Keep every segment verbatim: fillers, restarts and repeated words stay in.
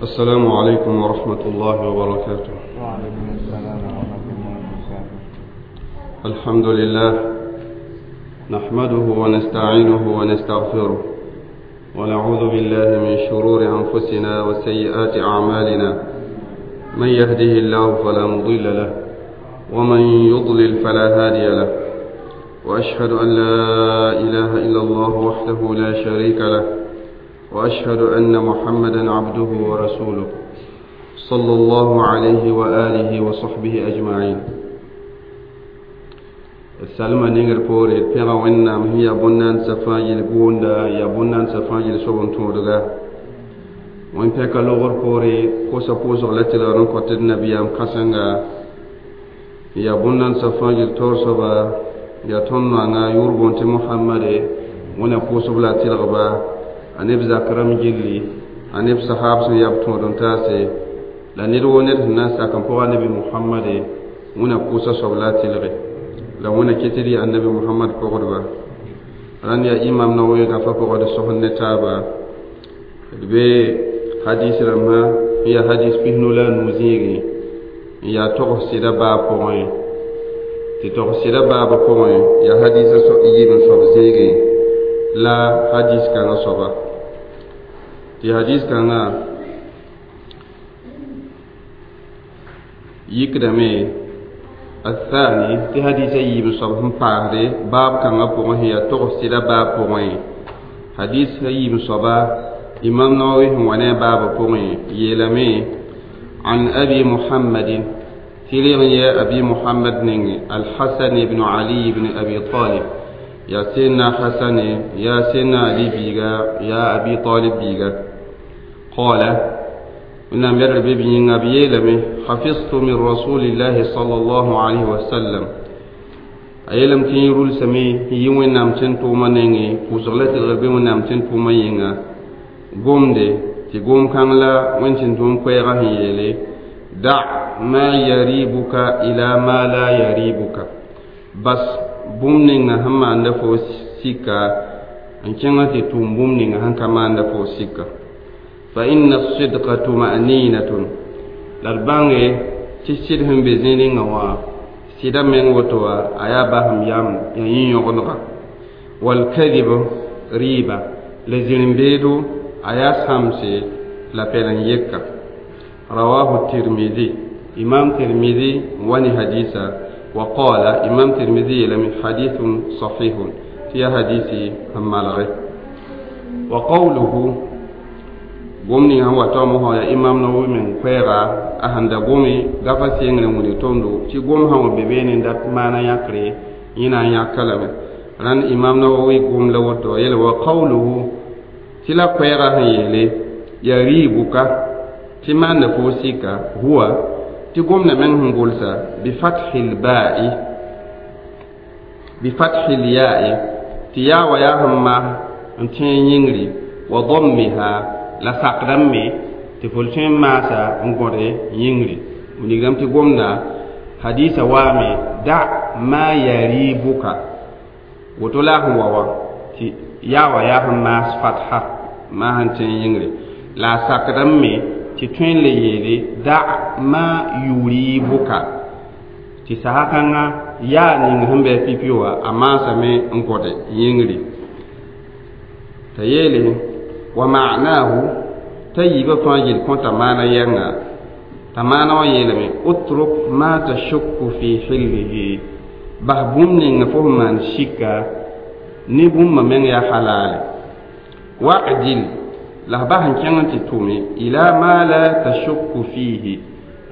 السلام عليكم ورحمة الله وبركاته. وعليكم السلام ورحمة الله وبركاته. الحمد لله نحمده ونستعينه ونستغفره ونعوذ بالله من شرور أنفسنا وسيئات أعمالنا، من يهده الله فلا مضل له ومن يضلل فلا هادي له، وأشهد أن لا إله إلا الله وحده لا شريك له، وأشهد أن محمدا عبده ورسوله صلى الله عليه وآله وصحبه أجمعين. السلام نينغر بوري بيغا وينام هي بونان سفاجل بوندا يا بونان سفاجل سوبن تودغا وين بيكا لوغر بوري كوسا بوزغ لتلا رنكوت النبي أم كاسنغا يا بونان سفاجل تورسوبا يا تونوانا يوربونتي محمد ونا بوسوبلا تلغبا aneb zakram gilli aneb sahab sẽn yaa b tõod n taase la ned woo ned sẽn na n sak n pʋga nabi Muhammade wẽna pʋʋsa soab la a tɩlge la wẽna ket d yaa annabi Muhammad pʋgdba rãnd yaa imam Nawawi gafa pʋgã d sõsd ne taaba d be hadis rãmbã n yaa hadis pisnu la a nuu zĩigẽ n yaa togs sɩda baab pʋgẽ tɩ togs sɩda baabã pʋgẽ yaa hadisã yiib n soab zĩigẽ la hadis kãngã soaba tɩ hadis kãngã yikdame الثاني tɩ hadisã yiib n soab sẽn paasde baab kãngã pʋgẽ sẽn yaa togs sɩda baab pʋgẽ hadis yiib n soaba imam Nawawi sẽn wa ne a baabã pʋgẽ yeelame عن أبي محمد تلغ يا أبي محمد نيني الحسن بن علي بن أبي طالب يا سيدنا حسن يا سيدنا علي بيغا يا أبي طالب بيغا قال إن مر ببين أبي لمي حفظت من رسول الله صلى الله عليه وسلم أيلم تنيرول سمي يوين نام تنتو منيني وزغلت الغربي ونام تنتو منينغا قوم دي تقوم كان لا وين تنتو كويغا هيلي دع ما يريبك إلى ما لا يريبك بس bũmb ninga sẽn maanda fo sika n kẽngã tɩ tʋʋm bũmb ninga sẽn ka maanda fo sika fa inna sidqa tuma'ninatun la d bãnge tɩ sɩd sẽn be zĩig ninga wã sɩda meng woto wã a yaa basem yam ya yĩ-yõgendga walkadib riiba la zĩr-n-beedo a yaa sãmse la pɛlen-yeka rawahu tirmidi imam tirmidi wa ne hadisa وقال إمام ترمذي لم حديث صحيح في حديث مالغي وقوله قمني هو تومه يا إمام نووي من كويرا أهند قومي غفا سينغ نموني توندو تي قوم هو ببين دات مانا يكري ينا يكلم ران إمام نووي قوم لوتو يلي وقوله تلا كويرا هيلي يريبك تما نفوسك هو tɩ gomdã meng sẽn gʋlsa bifathi lba'i bifathi lya'i tɩ yaa wa yaa sẽn maas n tẽeg yĩngri wa dammiha la sakdame me tɩ fo tõe n maasa n gõde yĩngri wilgdame tɩ gomda hadisa waame da ma yaribuka woto la a sẽn wa wã tɩ yaa wa yaa sẽn maas fatha maa sẽn tẽeg yĩngri la a sakdame me tɩ tõe n le yeele da ma yuribuka tɩ saha kãngã yaa ning sẽn bɩ pipi wã a maasame n gõde yĩngri t'a yeele wa ma'nahu t'a yiibã fãa yel kõta maana yɛnga t'a maana wã yeelame utruk ma tashukku fi hillihi bas bũmb ninga fo sẽn maan sika ne bũmba meng yaa halaale wa'dil la b bas n kẽng n tɩ tʋme ila ma la tashukku fihi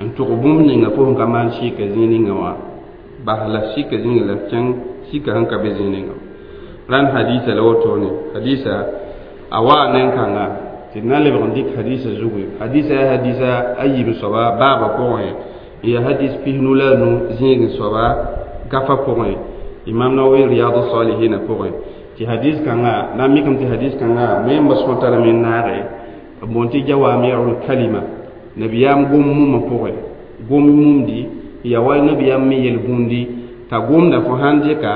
n tʋg bũmb ninga fo sẽn ka maan sika zĩig ninga wã bas la sika zĩnga la kẽng sika sẽn ka be zĩig ninga rãnd hadisa la wotone hadisa a waa nen-kãnga tɩ d na n lebg n dɩk hadisa zugu hadisa yaa hadisa a yiib soaba baabã pʋgẽ n yaa hadis pisnu la a nu zĩig soaba gafa pʋgẽ imam Nawawi riyadu salihina pʋgẽ tɩ hadis kãngã na n mikame tɩ hadis kãngã me n ba sõta lame n naage b boond tɩ jawamiul kalima nabiyaam gom mumã pʋgẽ gom mumdi ya wa nabiyaam me yel-bũndi t'a gomda fo sãn dɩka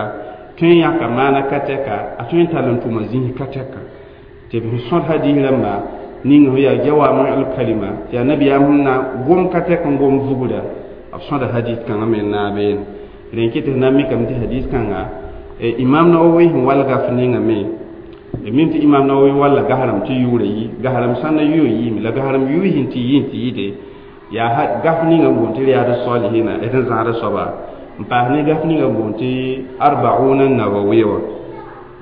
tõe n yãka maana ka tɛka a tõe n tall n tʋma zĩis ka tɛka tɩ b sẽn sõd hadis rãmba ning yaa jawami kalima tɩ yaa nabiyaam na gom ka tɛk n gom vugra b sõda hadis kãngã me n naab beene rẽ kɩ tɩ f na n mikame tɩ hadis kãnga imam Nawawi sẽn wall gaf ninga me mim tɩ imam Nawawi walla gasrãmb tɩ yʋʋra yi gasrãmb sã na yʋ yiime la gasrãmb yʋ sẽn tɩ yi n tɩ yɩde yaa gaf ninga n boond tɩ Riyad Salihina d sẽn zãada soaba n paas ne gaf ninga n boond tɩ Arbauna Nawawiya wã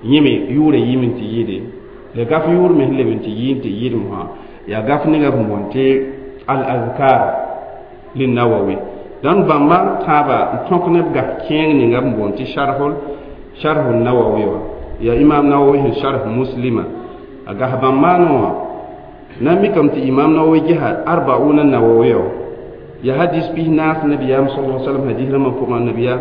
yẽ me yʋʋra yiime n tɩ yɩde la gaf yʋʋr me sẽn leb n tɩ yi n tɩ yɩdem wã yaa gaf ninga sẽn boond tɩ Al Azkar Linnawawi dãn bãmba tãabã n tõk ne b gaf kẽeng ninga b boond tɩ sharhul sharhu Nawawi wã yaa imam Nawawi sẽn sharh Muslima a gas bãmb maanẽ wã na n mikame tɩ imam Nawawi gesa Arbauna Nawawi wã yaa hadis pis naas nabiyaam sal sallam hadis rãmbã pʋgã nabiya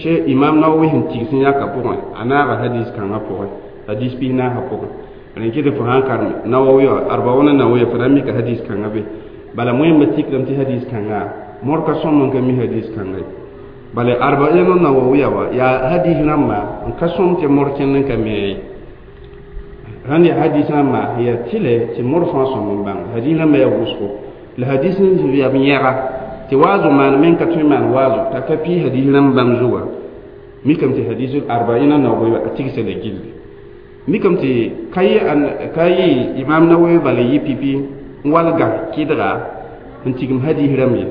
she imam Nawawi sẽn tigs n yãka pʋgẽ a naaga hadis kãngã pʋgẽ hadis pis naasã pʋgẽ rẽ kɩ tɩ fo sãn karem Nawawi wã Arbauna Nawawi fo na n mika hadis kãngã be bala wẽmba tikrame tɩ hadis kãnga mor ka sõm n ka mi hadis kãnga ye bala Arbaina Nawawiya wa yaa hadis rãmba n ka sõm tɩ mor kẽnd n ka me ye rãnd yaa hadis rãmba yaa tɩlɛ tɩ mor fãa sõm n bãng hadis rãmba yaa wʋsgo la hadis n yaa b yẽga tɩ waazo maan me n ka tõe n maan waazo t'a ka pii hadis rãmb bãmb zuga mikame tɩ hadis Arbaina Nawawiya a tigsa la gilli mikame tɩ ka yɩ ka yɩ imam Nawawi bala yɩ pipi n walga kɩdga n tigim hadis rãmb ye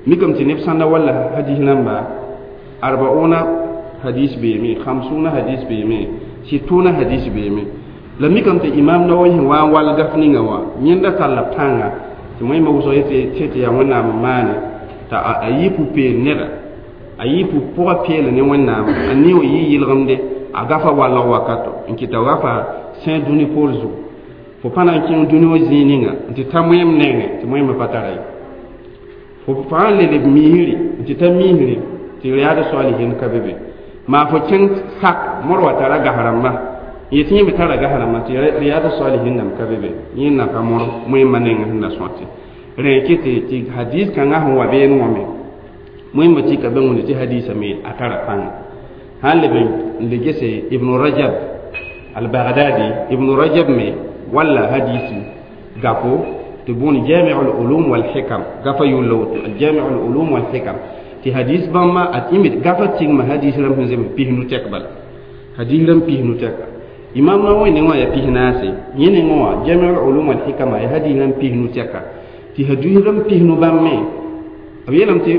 mikame tɩ neb sãn da walla hadis rãmba arbauna hadis beeme hamsuna hadis beeme situna hadis beeme la mikame tɩ imam Nawawi sẽn wa n wall gaf ninga wã yẽnda talla pãnga tɩ wẽmba wʋsg yetɩ tɩ yaa wẽnnaam n maane t'a a yɩ pʋ-peel neda a yɩ pʋ-pʋga peele ne wẽnnaam a ne wã yɩ yɩlgemde a gafa walg wakato n kɩta gafa sẽe dũni poor zugu fo pa na n kẽng dũni wã zĩig ninga n tɩ ta wẽem nengẽ tɩ wẽemã pa tara ye fo fãa le leb miisri n tɩ ta miisri tɩ Riyad Salihin ka be be maa fo kẽng sak mor wa tara gas rãmbã n yetɩ yẽ me tara gas rãmbã tɩ Riyad Salihin nam ka be be yẽnda ka mor wẽemã nengẽ sẽn na sõte rẽ kɩ tɩ tɩ hadis kãngã sẽn wa beene wã me wẽmba tɩka be wẽnde tɩ hadisa me a tara pãnga sãn leb n le gese Ibn Rajab al Baghdadi Ibn Rajab me walla hadisi gapo tɩ bõon Jami al Ulum wal Hikam gafa yʋlla woto Jami al Ulum wal Hikam tɩ hadis bãmba a yẽ gafa tigma hadis rãmb sẽn zems pisnu tɛk bala hadis rãmb pisnu tɛka imam Nawawi nengã wã yaa pis naase yẽ nengã wã Jami al Ulum wal Hikama yaa hadis rãmb pisnu tɛka tɩ hadis rãmb pisnu bãmb me b yeelame tɩ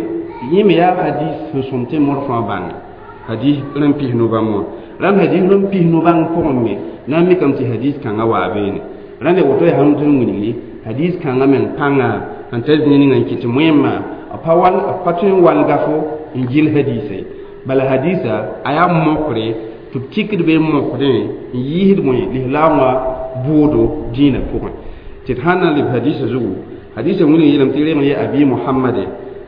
yẽ me yaa hadis sẽn sõm tɩ mor fãa bãnge hadis rãmb pisnu bãmb wã rãmb hadis rãmb pisnu bãng pʋgẽ me na n mikame tɩ hadis kãngã waa beene rãnd yaa woto yaa sãn tɩ wilgri hadis kãngã meng pãnga sẽn ta zĩig ninga n kɩt tɩ wẽmma pa wall pa tõe n wall gafo n gil hadisa ye bala hadisa a yaa mokre tɩ b tikd be n mokdẽ n yiisd wẽ lislaam wã bʋʋdo dĩinã pʋgẽ tɩ d sãn na n leb hadisa zugu hadisa wilg yeelame tɩ reng ye Abi Muhammade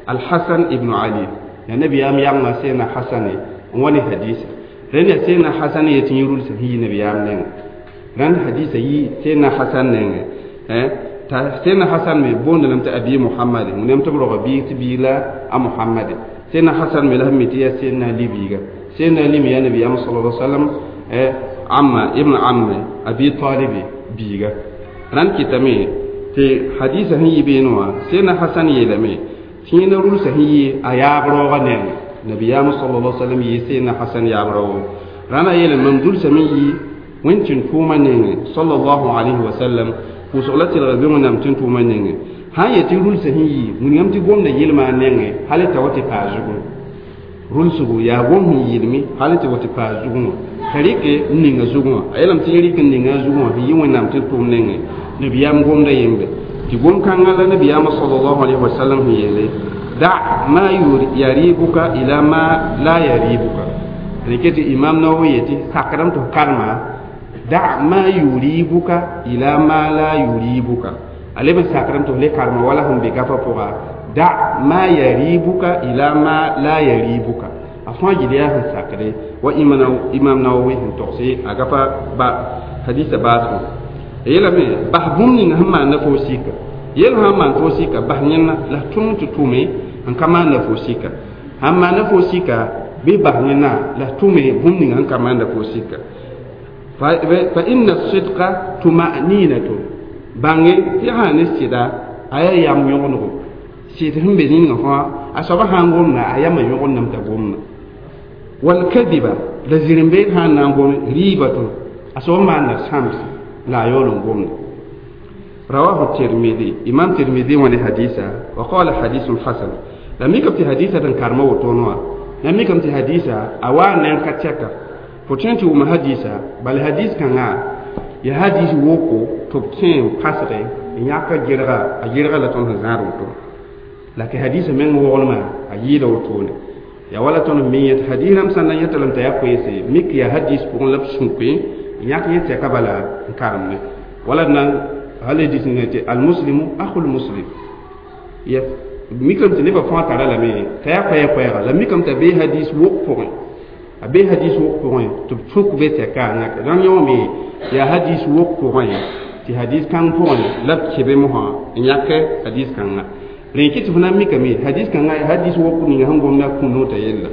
Alhasan ibnu Ali yaa nabiyaam yamgã sẽena Hasane n wa ne hadisa rẽnd yaa sẽena Hasan yetɩ yẽ rulsã sẽn yi nabiyaam nengẽ rãnd hadisa yi sẽena Hasan nengẽ t'a sẽena Hasan me boonda lame tɩ Abi Muhammade wẽnnaam tɩ b roga biig tɩ biig la a Muhammade sẽena Hasan me la sẽn mi tɩ yaa sẽena Ali biiga sẽena Ali me yaa nabiyaam sala sallam amma ibn amme Abi Talibi biiga rãnd kɩtame tɩ hadisa sẽn yi beene wã sẽena Hasan yeelame tɩ yẽna rulsã sẽn yi a yaab raoogã nengẽ nabiyaam sala sallam yɩ sẽena Hasan yaab raoogo rãndã yeelame mam dulsame yi wẽnd tɩ n tʋʋmã nengẽ sallallahu alayhi wa sallam pʋʋsg la tɩlga be wẽnnaam tɩ n tʋʋmã nengẽ sã n yetɩ rulsã sẽn yi wilgame tɩ gomda yelmã nengẽ hal t'a wa tɩ paa zugẽ rulsgo yaa gom sẽn yɩlme hal tɩ wa tɩ paa zugẽ wã t'a rɩke n ninga zugẽ wã a yeelame tɩ yẽ rɩk n ninga a zugẽ wã sẽn yɩ wẽnnaam tɩ n tʋʋm nengẽ nabiyaam gomda yembe tɩ gom-kãngã la nabiyaamã sallallahu alayhi wa sallam sẽn yeele da ma yaribuka ila ma la yaribuka rɩkɛ tɩ imam Nawawi yetɩ sakdame tɩ f karema da ma yuribuka ila ma la yuribuka a leb n sakrame tɩ f le karema wala sẽn be gafã pʋga da ma yaribuka ila ma la yaribuka a fãa gil yaa sẽn sakde wa imam Nawawi sẽn togse a gafa ba hadisa baasgo a yeelame bas bũmb ninga sẽn maanda fo sika yel sã n maan fo sika bas yẽnna la f tʋm tɩ tʋme n ka maanda fo sika sãn maanda fo sika bɩ bas yẽnna la f tʋme bũmb ninga sẽn ka maanda fo sika fa inna sidqa tumaninatu Bãnge tɩ sã ne sɩda a yaa yam yõgenego sɩd sẽn be zĩnigã fãa a soaba sã n gomda a yamã yõgendame t'a gomda walkadiba la zirẽ-beed sã n na n gome riibatun a soab maanda sãmse la a yaool n gomda رواه الترمذي إمام ترمذي وني حديثا وقال حديث حسن لم يكن في حديثة كارما وتونوا لم يكن في حديثة أوا نان كاتشاكا فتنتي وما حديثة بل حديث كان يا حديث ووكو تبكين قصري ياكا جرغا أجرغا لتون هزار وتو لكن حديث من وغلما أجيدا وتوني يا ولا تون ميت حديث هم سنة يتلم تيا ميك يا حديث بقول لبسونكي ياكا يتكا بلا كارمني ولا نان hal hadis ne tɩ almuslimu akhul muslim ya mikame tɩ nebã fãa tara lame t'a yaa koɛɛ-koɛɛga la mikame t'a bee hadis wok pʋgẽ a bee hadis wok pʋgẽ tɩ b sũk be tɛka a yãk rãmb yõome yaa hadis wok pʋgẽ tɩ hadis kãng pʋgẽ la b kebe mosã n yãk hadis kãnga rẽ kɩ tɩ fo na n mikame hadis kãnga hadis wok ninga sẽn gomda kũnoo t'a yella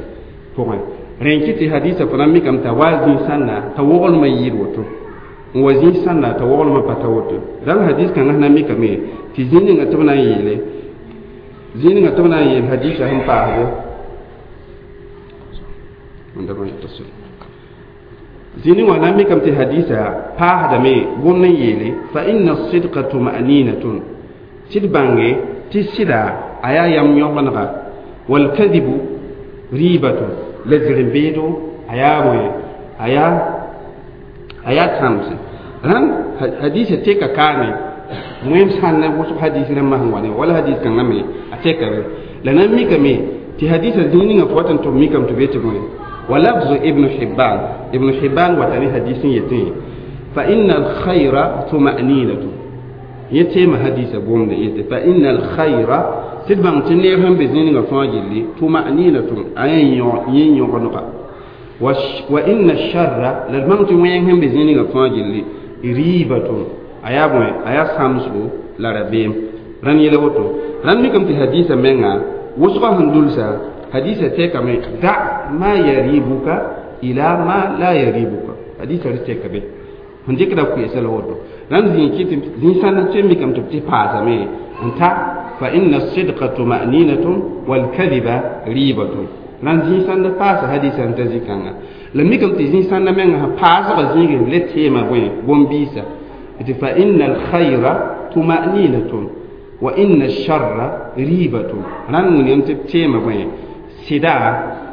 pʋgẽ rẽ kɩ tɩ hadisa fo na n mikame t'a wa zĩ-sãnda t'a woglmã yɩɩd woto n wa zĩ-sãnda t'a woglmã pa ta woto rãmb hadis kãngã sẽn na n mikame tɩ zĩ ninga tɩ b na n yeele zĩ ninga tɩ b na n yeel hadisa sẽn paasde zĩ ning wã na n mikame tɩ hadisa paasdame gomd n yeele fa inna sidqa tuma'ninatun tɩ d bãnge tɩ sɩda a yaa yam yõgenega walkadibu riibatun la zirẽ-beedo a yaa bõe a yaa a yaa tãmse rãnd hadisa teka kaane wẽm sãn na wʋsg hadis rãmbã sẽn wa ne wala hadis kãngã me a teka be la na n mikame tɩ hadisa zĩig ninga fo wat n tʋb mikame tɩ be tɩ bõe wa lafzu ibnu hibban ibnu hibban wata ne hadis n yetẽ fa inna alkhayra tuma'ninatu yẽ teema hadisa gomde yete fa inna alkhayra tɩ d bãng tɩ neer sẽn be zĩig ninga fãa gilli tuma'ninatun a yẽ yõgenega wa inna sharra la d bãng tɩ wẽng sẽn be zĩig ninga fãa gilli riibatun a yaa bõe a yaa sãmsgo la rabeem rãnd yɛla woto rãnd mikame tɩ hadisa menga wʋsgã sẽn dulsa hadisa tɛkame da ma yaribuka ila ma la yaribuka hadisa rɩ tɛka be sẽn dɩkda koeesa la woto rãnd zĩig kɩ tɩ zĩ-sãnd tɩ mikame tɩ b tɩ paasame n ta fa inna sidqa tuma'ninatun walkadiba riibatun rãnd zĩ-sãnd paasa hadisa n ta zĩ-kãnga la mikame tɩ zĩ-sãndã menga sã paasgã zĩigẽ le teema bõe bõn-biisa tɩ fa inna alkhayra tuma'ninatun wa inna sharra riibatun rãnd wilgame tɩ b teema bõe sɩda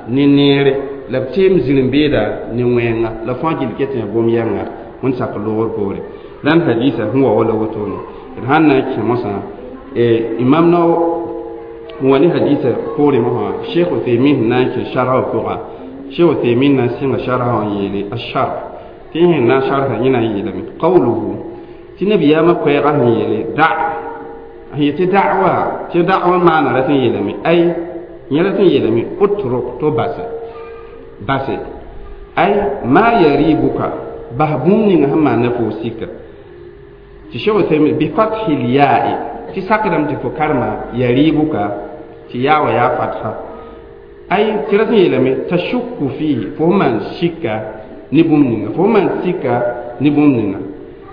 ne neere la b teem zirẽ-beeda ne wẽnga la fãa gill ket yã gom-yɛnga wẽnd sak loogr poore rãnd hadisa sẽn wa wala wotone d sãn na n kẽ mosã imam nao n wa ne hadisa poore mosã sheikh uthaymin sẽn na n kẽ sharha pʋga sheikh uthaymin na n sɩnga sharha wã n yeele asharh tɩ sẽn na n sharha yẽ na n yeelame qawluhu tɩ nabiyaamã koɛɛgã sẽn yeele da sẽn yetɩ da'wa tɩ da'wa maana rat n yeelame ay yẽ rat n yeelame utruk to base base ay ma yaribuka bas bũmb ninga sẽn maanda fo sika tɩ sheikh uthaymin bi fathi lya'i tɩ sakdame tɩ fo karema yaribuka tɩ yaa wa yaa fatha ay tɩ rat n yeelame tashukku fihi fo maan sika ne bũmb ninga fo maan sika ne bũmb ninga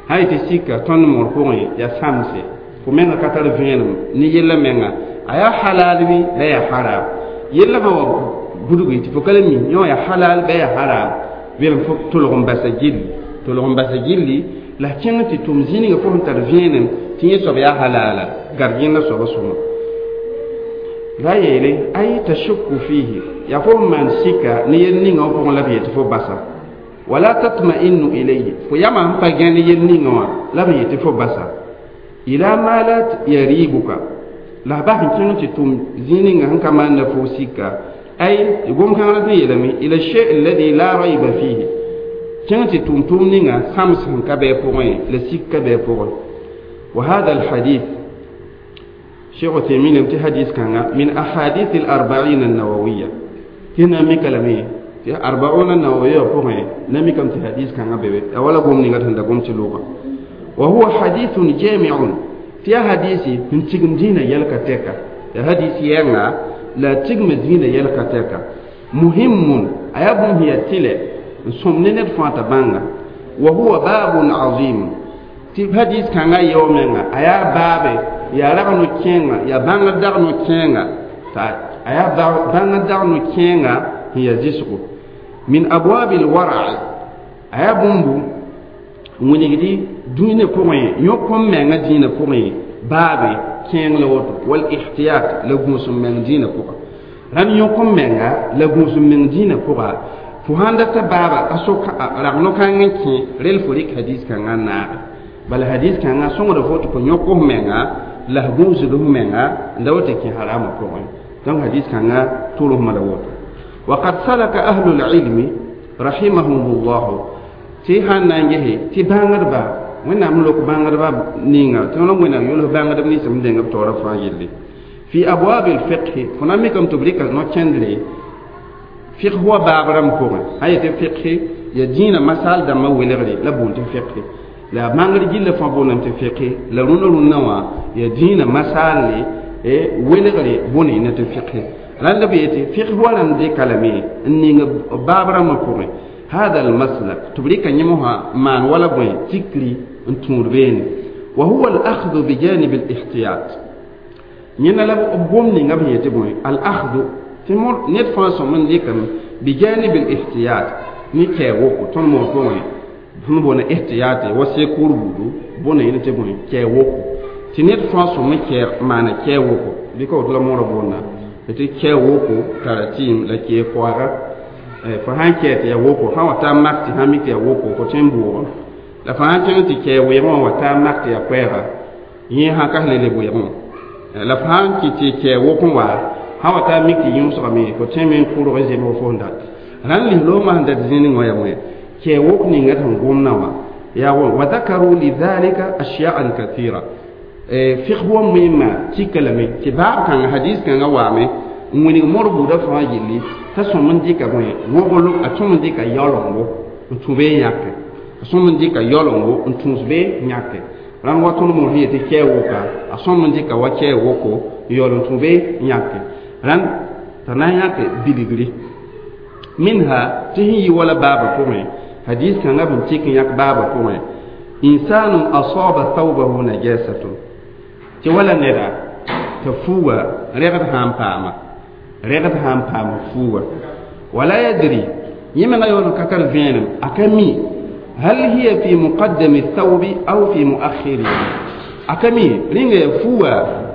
sã yetɩ sika tõnd moor pʋgẽ yaa sãmse fo menga ka tar vẽenem ne yella menga a yaa halal bɩ la yaa haram yella fã wa budgi tɩ fo ka le mi yõ yaa halal ba yaa haram welem fo tʋlg n basa gilli tʋlg n basa gilli la kẽng tɩ tʋm zĩnigã fo sẽn tar vẽenem tɩ yẽ soab yaa halala gard yẽnda soaba sõma la yeele ay tashukku fihi yaa fo n maan sika ne yel ninga wã pʋgẽ la b yetɩ fo basa wala tatma'innu ilayhi fo yama sẽn pa gã ne yel ninga wã la b yetɩ fo basa ila ma la yaribuka la bas n kẽng tɩ tʋm zĩ ninga sẽn ka maanda fo sika ay tɩ gom-kãngã tɩ yeelame ila shay alladhi la rayba fihi kẽng tɩ tʋm tʋʋm ninga sãms sẽn ka bɩ a pʋgẽ la sik ka bɩ a pʋgẽ wa hada alhadith شيخ عثيمين يمتي حديث كان من أحاديث الأربعين النووية هنا مكلمي أربعون النووية فوقي نمي كم حديث كان بيبي أولا قوم نيغات هندا قوم تلوغا وهو حديث جامع في حديث من تيغم دينا يلكا تيكا حديث يانا لا تيغم دينا يلكا تيكا مهم أيابون هي تيلي سمنين فانتا بانغا وهو باب عظيم Tɩ hadis kãngã yao menga a yaa baabe yaa rag no-kẽenga yaa bãngr dag no-kẽenga t'a a yaa bãngr dag no-kẽenga sẽn yaa zɩsgo min abwab alwara a yaa bũmbu n wilgdi dũniyã pʋgẽ yõk n menga dĩinã pʋgẽ baabe kẽeng la woto wal ihtiyat la gũus n meng dĩinã pʋga rãnd yõk n menga la gũus n meng dĩinã pʋga fo sãn data baaba a sok rag no-kãng n kẽ rel fo rɩk hadis kãngã n naage bala hadis kãngã sõngda fo tɩ fo yõk f menga la f gũusd f menga n da woto kẽ haramã pʋgẽ donc hadis kãngã tʋlsma la woto وقد سلك أهل العلم رحمهم الله tɩ sãn na n gese tɩ bãngdba wẽnnaam lok bãngdba ninga tɩ tõnd wẽnnaam yols bãngdb nins n deng b taoora fãa yelle fi abwab alfiqh fo na n mikame tɩ b rɩka no-kẽndre fiqh wa baab rãmb pʋgẽ sã yetɩ fiqh ya dĩinã masal dãmbã welgre la boond tɩ fiqh la bãngr gilla fãa boondame tɩ fiqh la rũnã rũnnã wã ya dĩinã masalle welgre bõne tɩ fiqh rãnd b yetɩ fiqh wa rãmb dɩka lame n ning baab rãmbã pʋgẽ هذا المسلك تبريك نيموها مان ولا بوين تكري انتور بين وهو الأخذ بجانب الاحتياط نينا لا بوم ني غاب يتي بوين الأخذ تمر نيت فانسون من ديكم بجانب الاحتياط ني كي وكو تون مو بوين فم بون احتياط وسيكور بودو بون يني تي بوين كي وكو تي نيت فانسون من كي مانا كي وكو بيكو لا مورا بونا تي كي وكو تاراتيم لا كي فوارا fo sãn kɛɛ tɩ ya woko sã wa taa mak tɩ sã mik tɩ ya woko fo tõe n bʋʋgẽ la fo sãn kẽng tɩ kɛɛ weegẽ wã wa taa mak tɩ ya koɛɛga yẽ sã ka le le weegẽ la fo sãn kɩ tɩ kɛɛ wok n wa sã wa taa mik tɩ yũusgame fo tõeme n kʋrg zemg fo sẽn dat rãnd lislaoomã sẽn dat zĩnig wã ya wẽ kɛɛ wok ninga sẽn gomdã wã yaa wa dakaru lidhalika ashyaan kathira fiqh wa moẽmã tika lame tɩ baab kãnga hadis kãngã waame n wilg mor buudã fãa yelle t'a sõm n dɩka bõe woglo a tõm n dɩka yaoolongo n tũ be n yãke a sõm n dɩka yaoolongo n tũus be n yãke rãnd wa tõnd moos yetɩ kɛɛ woka a sõm n dɩka wa kɛɛ woko n yaool n tũ be n yãke rãnd t'a na n yãke bilgri minha tɩ sẽn yi wala baabã pʋgẽ hadis kãngã b n tik n yãk baabã pʋgẽ insanun asaba thawbahu najasatun tɩ wala neda t'a fuuga rɛgd sã n paama rɛgd sã n paam fuuga wala yadri yẽ menga yaool n ka tar vẽenem a ka mi hal hiya fi muqaddami thawbi aw fi muakhirihi a ka mi rĩnga ya fuuga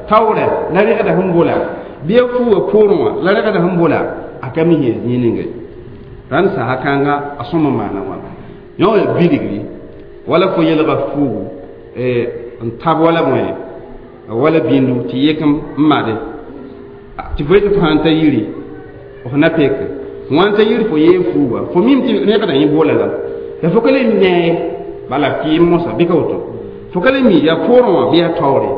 taoorɛ la rɛgda sẽn bola bɩ ya fuuga poorẽ wã la rɛgda sẽn bola a ka mi sẽn zĩig ninga rãnd sasa kãnga a sõm n maana wãna yõ ya bilgri wala fo yelga fuugu n tab wala bõe wala bĩndu tɩ yek n made tɩ fo yetɩ fo sãn ta yiri f na peke wãn ta yiri fo yee fuuga fo mim tɩ rẽgda yẽ bola la la fo ka le nee bala kɩɩm mosã bɩ ka woto fo ka le mi yaa poorẽ wã bɩ yaa taoore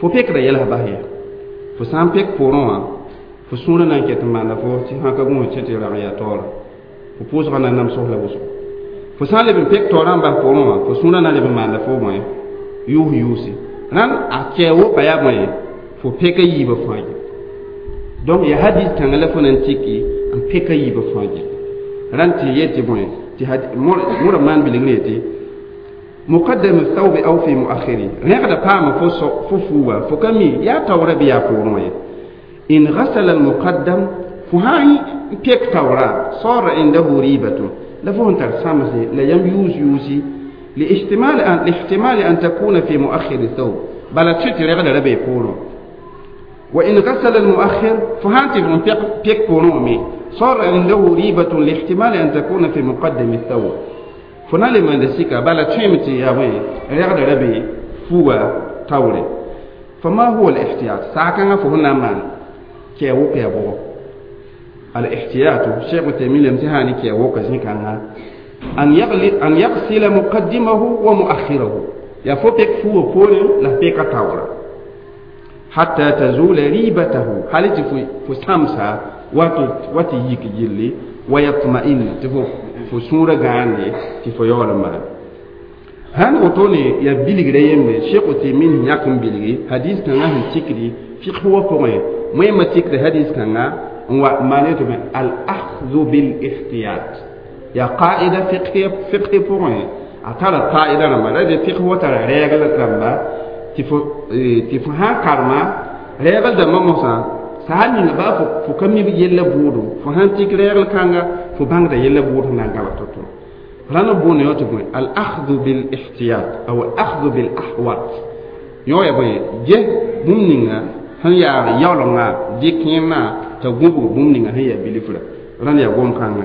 fo pekda yɛls bas ye fo sã n pek poorẽ wã fo sũurã na n ket n maanda fo tɩ sã ka gũus tɩ tɩ rag yaa taoora fo pʋʋsgã na namsg la wʋsgo fo sã n leb n pek taoorã n bas poorẽ wã fo sũurã na leb n maanda fo bõe yʋʋs yʋʋse rãnd a kɛɛ woka yaa bõe fo peka yiibã fãa ye donc ya hadis kãngã la fo na n tiki n peka yiibã fãa ye rãnd tɩ yet tɩ bõe tɩ modã maan bilgr yetɩ muqaddam thawbi aw fi muakhiri rẽgda paama fo fo fuuga fo ka mi yaa taoora bɩ yaa poorẽ wã ye in ghasala almuqaddam fo sã n pek taoora sara indahu ribatun la fo sẽn tar sãmse la yãmb yʋʋs yʋʋsi لاحتمال أن لاحتمال أن تكون في مؤخر الثوب بل تشتي رغد ربي بورو وإن غسل المؤخر فهانتي من بيك بورو صار عنده ريبة لاحتمال أن تكون في مقدم الثوب فنالي من دسيكا بل تشيمتي يا وين رغد ربي فوا تاوري فما هو الاحتياط ساكن فهنا مان كي وقيا بو الاحتياط شيخ تيمين الامتحاني كي وقيا زين أن يغلي أن يغسل مقدمه ومؤخره يا فوبك فو فور لا بيك تاورا حتى تزول ريبته حالتي فو فو سامسا واتي واتي يك يلي ويطمئن تفو فو سورة غاني تفو يولما هان وتوني يا بيلغري يمبي شيخ تيمين ياكم بيلغي حديث كان هن تيكري في هو بوين مهم تيكري حديث كان معناته الأخذ بالاحتياط يا قاعدة فقهية فقهية بوين A tara fa'ida rãmba la de fiqh wa tara rɛɛgl rãmba tɩ fo tɩ fo sã n karema rɛɛgl dãmbã mosã saa ninga baa fo fo ka mi yella bʋʋdo fo sãn tik rɛɛgl kãnga fo bãngda yella bʋʋd sẽn na n gaba to-to rãnd b boonda yõ tɩ bõe al akhdu bil ihtiyat aw al akhdu bil ahwat yõ ya bõe ges bũmb ninga sẽn yaa yaoolengã dɩk kẽemã t'a gũbg bũmb ninga sẽn yaa bilfra rãnd yaa gom-kãngã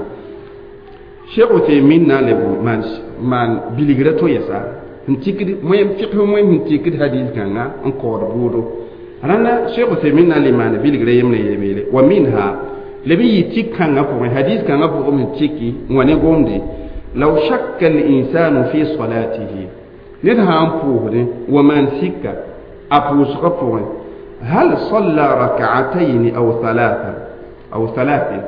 Cheikh Uthaymin na leb maan maan bilgra to yɛsa n tikd moem fiqh moem n tikd hadis kãnga n kaood bʋʋdo rãnda Cheikh Uthaymin na n le maana bilgra yembre yebeele wa minha leb n yɩ tik kãngã pʋgẽ hadis kãngã pʋgẽ n tiki n wa ne gomde law shakka al-insanu fi salatihi ned sã n pʋʋsdẽ wa maan sika a pʋʋsgã pʋgẽ hal salla rak'atayn aw thalatha aw thalathin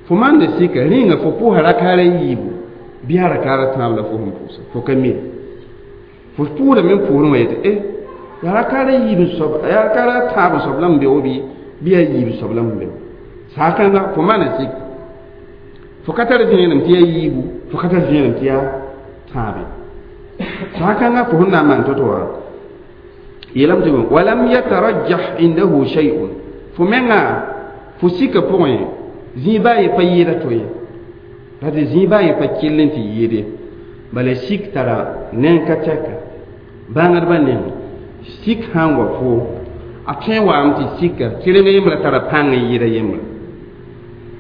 fo maanda sika rĩnga fo pʋʋsa rakaara yiibu bɩ a rakaara tãab la fo sẽn pʋʋsa fo ka mi fo pʋʋdame n pʋʋsdẽ wã yetɩ e yaa rakaara yiib soab yaa rakaara tãab soab la n be wo bɩ bɩ yaa yiib soab la n be saakãnga fo maana sik fo ka tar vẽenem tɩ yaa yiibu fo ka tar vẽenem tɩ yaa tãabe saakãnga fo sẽn na n maan to-to wã yeelame tɩ walam yatarajjah indahu shay'un fo menga fo sika pʋgẽ zĩig baa ye pa yɩɩda to ye la tɩ zĩig baa ye pa kell n tɩ yɩɩde bala sik tara neng ka tɛka bãngdbã neng sik sã n wa fo a tõe n waame tɩ sika kɩreng yembrã tara pãng n yɩɩda yembrã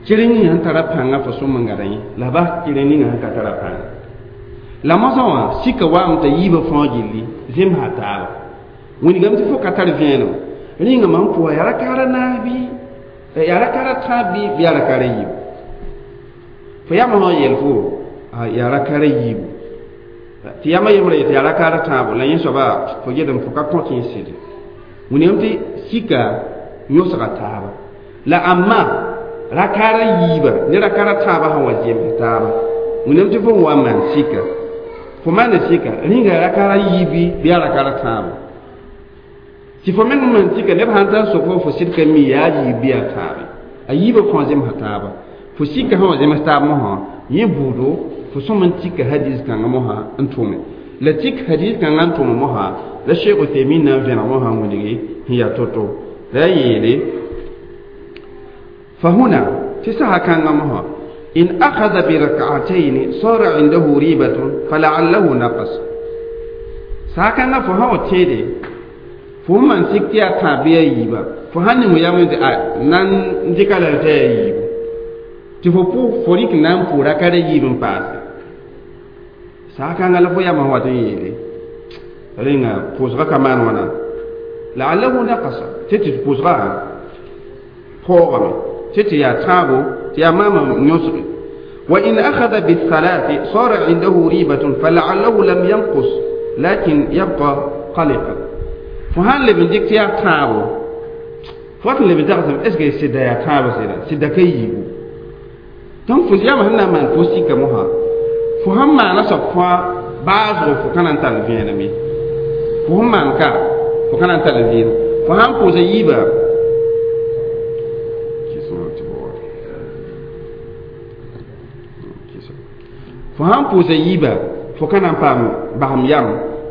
kɩreng ninga sẽn tara pãnga fo sõm n gada yẽ la bas kɩreng ninga sẽn ka tara pãnga la mosã wã sika waame t'a yiibã fãa gilli zemsa taaba wĩnigame tɩ fo ka tar vẽenem rĩnga mam pʋga yaa rakaara naas bɩ yaa rakaara tãab bɩ bɩ yaa rakaara yiibu fo yamã sã n yeel fo yaa rakaara yiibu tɩ yamã yembrã yetɩ yaa rakaara tãabo la yẽ soaba fo gedem fo ka kõt yẽ sɩde wĩnigame tɩ sika yõsga taaba la amma rakaara yiiba ne rakaara tãabã sã wa zems taaba wĩnigame tɩ fo n wa n maan sika fo maana sika rĩnga rakaara yiibi bɩ yaa rakaara tãabo tɩ fo meng maan sika neb sãn tar sok fo fo sɩd ka mi yaa yiib bɩ yaa tãabe a yiibã fãa zemsa taaba fo sika sã wa zems taab mosã yẽ buudo fo sõm n tika hadis kãngã mosã n tʋme la tik hadis kãngã n tʋme mosã la Cheikh Uthaymin na n vẽneg mosã n wilgi sẽn yaa to-to la yaa yeele فهنا في ساعة كان مها إن أخذ بركعتين صار عنده ريبة فلعله نقص ساعة كان فهو تيدي fo man sik tɩ yaa tãab bɩ yaa yiiba fo sãn ning yam tɩ a nan n dɩka la tɩ yaa yiibu tɩ fo pʋ fo rɩk na n pʋʋ rakara yiib n paase saakãnga la fo yamã wat n yeele rẽnga pʋʋsgã ka maan wãna laallahu naqasa tɩ tɩ pʋʋsgã paoogame tɩ tɩ yaa tãabo tɩ yaa maama yõsge وإن أخذ بالثلاث صار عنده ريبة فلعله لم ينقص لكن يبقى قلقا fo sãn leb n dɩk tɩ yaa tãabo fo wat n leb n tagsem est ce que sɩda yaa tãabo sɩda sɩda ka yiibu donc fo yamã sẽn na n maan fo sika mosã fo sãn maana soab fãa baasgo fo ka na n tall vẽenem ye fo sẽn maan ka fo ka na n tall vẽenem fo sãn pʋʋsa yiiba fo sãn pʋʋsa yiiba fo ka na n paam basem yam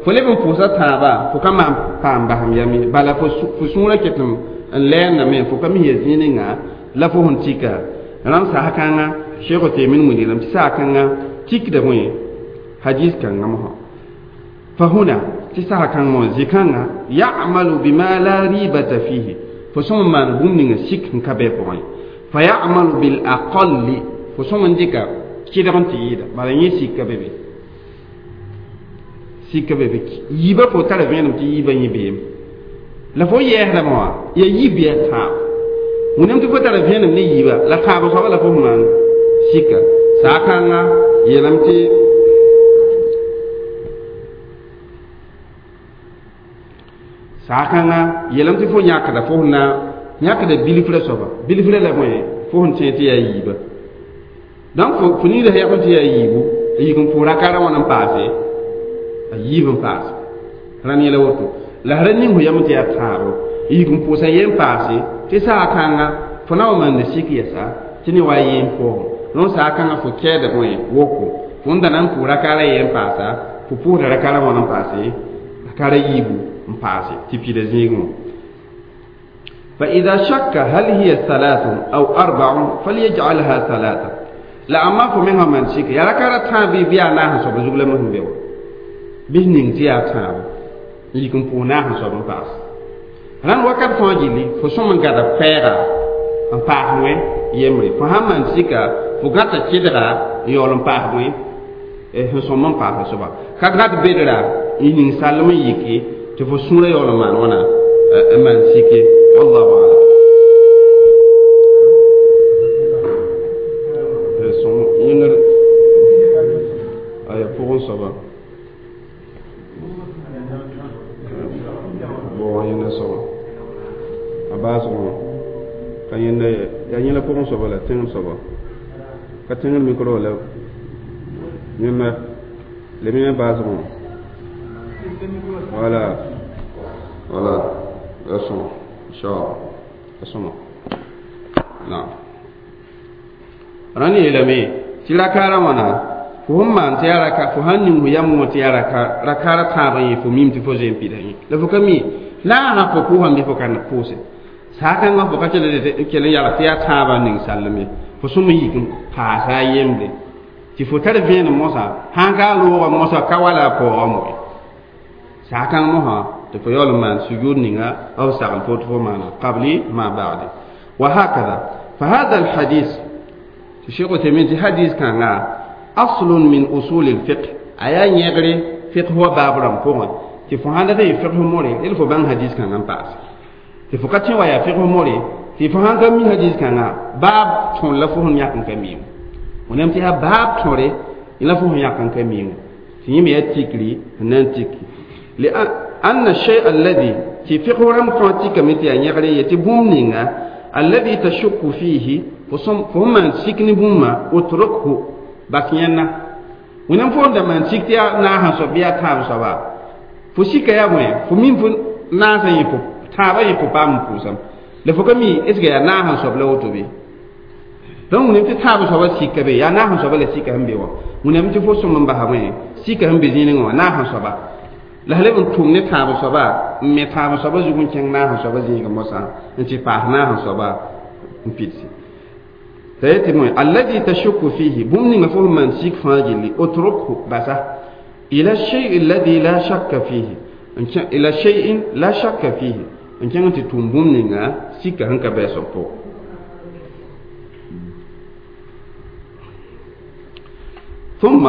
fo leb n pʋʋsa tãabã fo ka maan paam basem yam ye bala fo sũurã ket n lɛɛndame fo ka mis ya zĩig ninga la fo sẽn tika rãmb sasa kãnga Cheikh Uthaymin wilgame tɩ saa kãnga tikda bõe hadis kãngã mosã fa huna tɩ sasa kãng wã zĩ-kãngã ya'malu bima la ribata fihi fo sõm n maan bũmb ninga sik n ka bɩ pʋgẽ fa ya'malu bil aqalli fo sõm n dɩka kɩdg n tɩ yɩɩda bala yẽ sika be be sika be be yiibã fo tara vẽenem tɩ yiibã yẽ beem la fo yɛɛsdame wã yaa yiib yaa tãab wĩnam tɩ fo tara vẽenem ne yiibã la tãab soaba la fo sẽn maan sika saakãngã yeelame tɩ saakãngã yeelame tɩ fo yãkda fo sẽn na yãkda bilfrã soaba bilfrã la bõe fo sẽn tẽ tɩ yaa yiibã donc fo fo ningda sẽn yãk tɩ yaa yiibu a yik n pʋʋs rakaarã wãna n paase a yiib n paase rãnd yẽla woto la ra ning fo yam tɩ yaa tãabo a yik n pʋʋsa yen paase tɩ saakãngã fo na wa maanda sik yɛsa tɩ ne wa a yen poogẽ rõnd saakãngã fo kɛɛda bõe woko fo n da na n pʋʋ rakaara yen n paasa fo pʋʋsda rakaara wãn n paase rakaara yiibu n paase tɩ pida zĩigẽ فإذا شك هل هي ثلاث أو أربع فليجعلها ثلاثة la amma fo mengã maan sika yaa rakaara tãab bɩ yaa naas n soab zug la sẽn be wa bɩs ning tɩ yaa tãabo n yik n pʋʋs naas n soab n paas rãnd wakat fãa gilli fo sõm n gada koɛɛga n paas wẽ yembre fo sãn maan sika fo gãta kɩdga n yaool n paas wẽ sẽn sõm n paas soaba ka gãd bedra n ning sallem n yiki tɩ fo sũurã yaool n maan wãna n maan sike wallahu alam aya pʋgẽ soaba bʋgã yẽnda soaba a baasgõ ka yẽnda yaa yẽla pʋgẽ soaba la tẽngr soaba ka tẽngr micro la yẽnda leb yẽ baasgõ voilà voilà la sõma inchallah la sõma naam rãnd yeelame tɩ rakaarã wãna fo sẽn maan tɩ yaa raka fo sãn ning fo yam wã tɩ yaa rakaarã tãabã yẽ fo mim tɩ fo zoe n pida yẽ la fo ka mi la a sã fo pʋʋsame bɩ fo ka pʋʋse saakãngã fo ka kell n yalg tɩ yaa tãabã n ning sallem ye fo sõm n yik n paasa a yembre tɩ fo tar vẽenem mosã sãn ka a loogã mosã ka wala a paoogã moe saakãng mosã tɩ fo yaool n maan sujud ninga b sagl fo tɩ fo maana qabli ma ba'di wa hakada fa hada alhadis tɩ Cheikh Uthaymin tɩ hadis kãnga أصل من أصول الفقه أيا يغري فقه هو باب رمпوغ تي فو هاندا تي فقه موري il faut ban hadith kan an paas tɩ fo ka tẽ wa yaa fiqh more tɩ fo sãn ka mi hadis kãnga baab tõr la fo sẽn yãk n ka miime wẽnnaam tɩ yaa baab tõre la fo sẽn yãk n ka miime tɩ yẽ me yaa tikri n na n tiki لأن الشيء الذي tɩ fiqh rãmb fãa tikame tɩ yaa yẽgre ye tɩ bũmb ninga الذي تشك فيه fo sẽn maan sik ne bũmba utrukhu bas yẽnna wẽnnaam fo n da maan sik tɩ yaa naas n soab bɩ yaa tãab soaba fo sika yaa bõe fo mim fo naasã yẽ fo tãabã yẽ fo paam n pʋʋsam la fo ka mi est ce que yaa naas n soab la woto be donc wẽnnaam tɩ tãab soabã sika be yaa naas n soabã la sika sẽn be wã wẽnnaam tɩ fo sõm n basa bõe sika sẽn be zĩigẽ wã naas n soaba la sã leb n tʋm ne tãab soaba n me tãab soaba zug n kẽng naas n soaba zĩigẽ mosã n tɩ paas naas n soaba n pidsi الذي تشك فيه بوم نينغا فو مان سيك فاجلي اتركه بسا الى الشيء الذي لا شك فيه الى شيء لا شك فيه ان كان تتوم بوم نينغا سيك هنكا بيسو بو ثم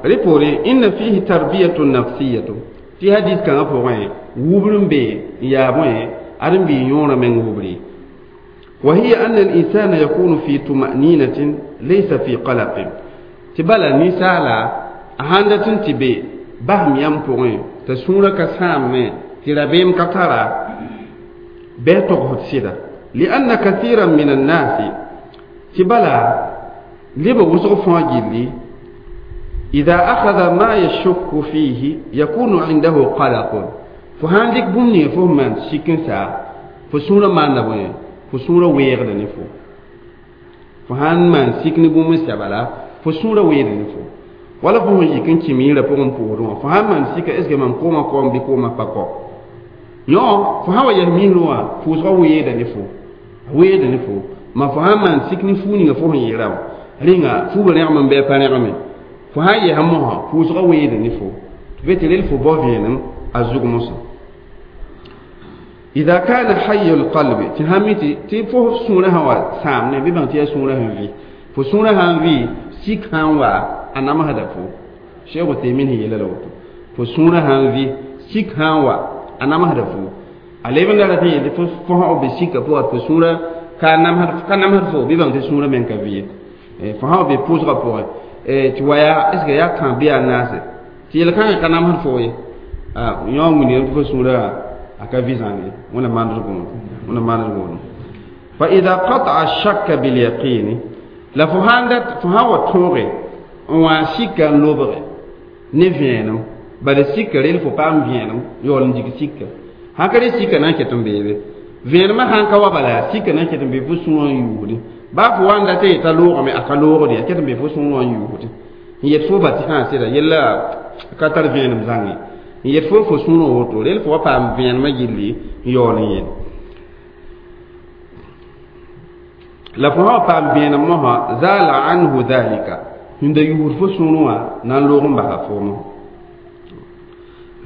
ريبوري ان فيه تربيه نفسيه في حديث كان فوين وبرم بي يا بوين ادم بي يورا من وبري وهي أن الإنسان يكون في طمأنينة ليس في قلق تبالا نسالا أهاندة تبي بهم يمبوين تسورة كسام تربيم كتارا بيتوغ سيدا لأن كثيرا من الناس تبالا لبا وسغ فاجلي إذا أخذ ما يشك فيه يكون عنده قلق فهاندك بمني فهمان سيكنسا فسورة ما نبوين fo sũurã weegda ne fo fo sãn maan sik ne bũmb n sɛba la fo sũurã weeda ne fo wala fo sẽn yik n kẽ miirã pʋgẽ pʋʋsdẽ wã fo sãn maan sika est ce que mam koomã koam bɩ koomã pa kɔ yõ fo sã wa yɛs miisrẽ wã pʋʋsgã weeda ne fo a weeda ne fo ma fo sãn maan sik ne fuu ninga fo sẽn yeera wã rẽnga fuubã rẽgem n bɩ a pa rẽgeme fo sãn yɛs mosã pʋʋsgã weeda ne fo tɩ be tɩ rel fo bao vẽenem a zug mosã إذا كان حي القلب تهمتي تي فو سورة هوا سام نه بيبان تي سورة هن في فو سورة هن في سيك هن وا أنا ما هذا فو شيء وتيمين هي لا لوتو فو سورة هن في سيك هن وا أنا ما هذا فو عليه من لا تي فو فو هو بسيك فو فو سورة كان نم هذا كان نم هذا فو بيبان تي سورة من كفيه فو هو بيبوز رابور توايا إسكا يا كان بيا ناس تي لكان كان نم هذا فو يوم من فو سورة aka vizane wona mandr gondo wona mandr gondo fa idha qata'a ash-shakka bil yaqin la fuhandat fuhawa tore wa shika lobre ne vienam bala sika rel fo pam vienam yol ndik sika hakare sika na ketum bebe vienma han ka wa bala sika na ketum be fu suwan yuudi ba fu wanda te ta logo me aka logo de ketum be fu suwan yuudi N yet fo ba tɩ sã sɩda yella ka tar vẽenem zãnge n yet fo fo sũurã woto rel fo wa paam vẽenemã gilli n yaool n yel la fo sã wa paam vẽenem mosã zala anhu dhalika sẽn da yuusd fo sũurẽ wã na n loog n basa foomõ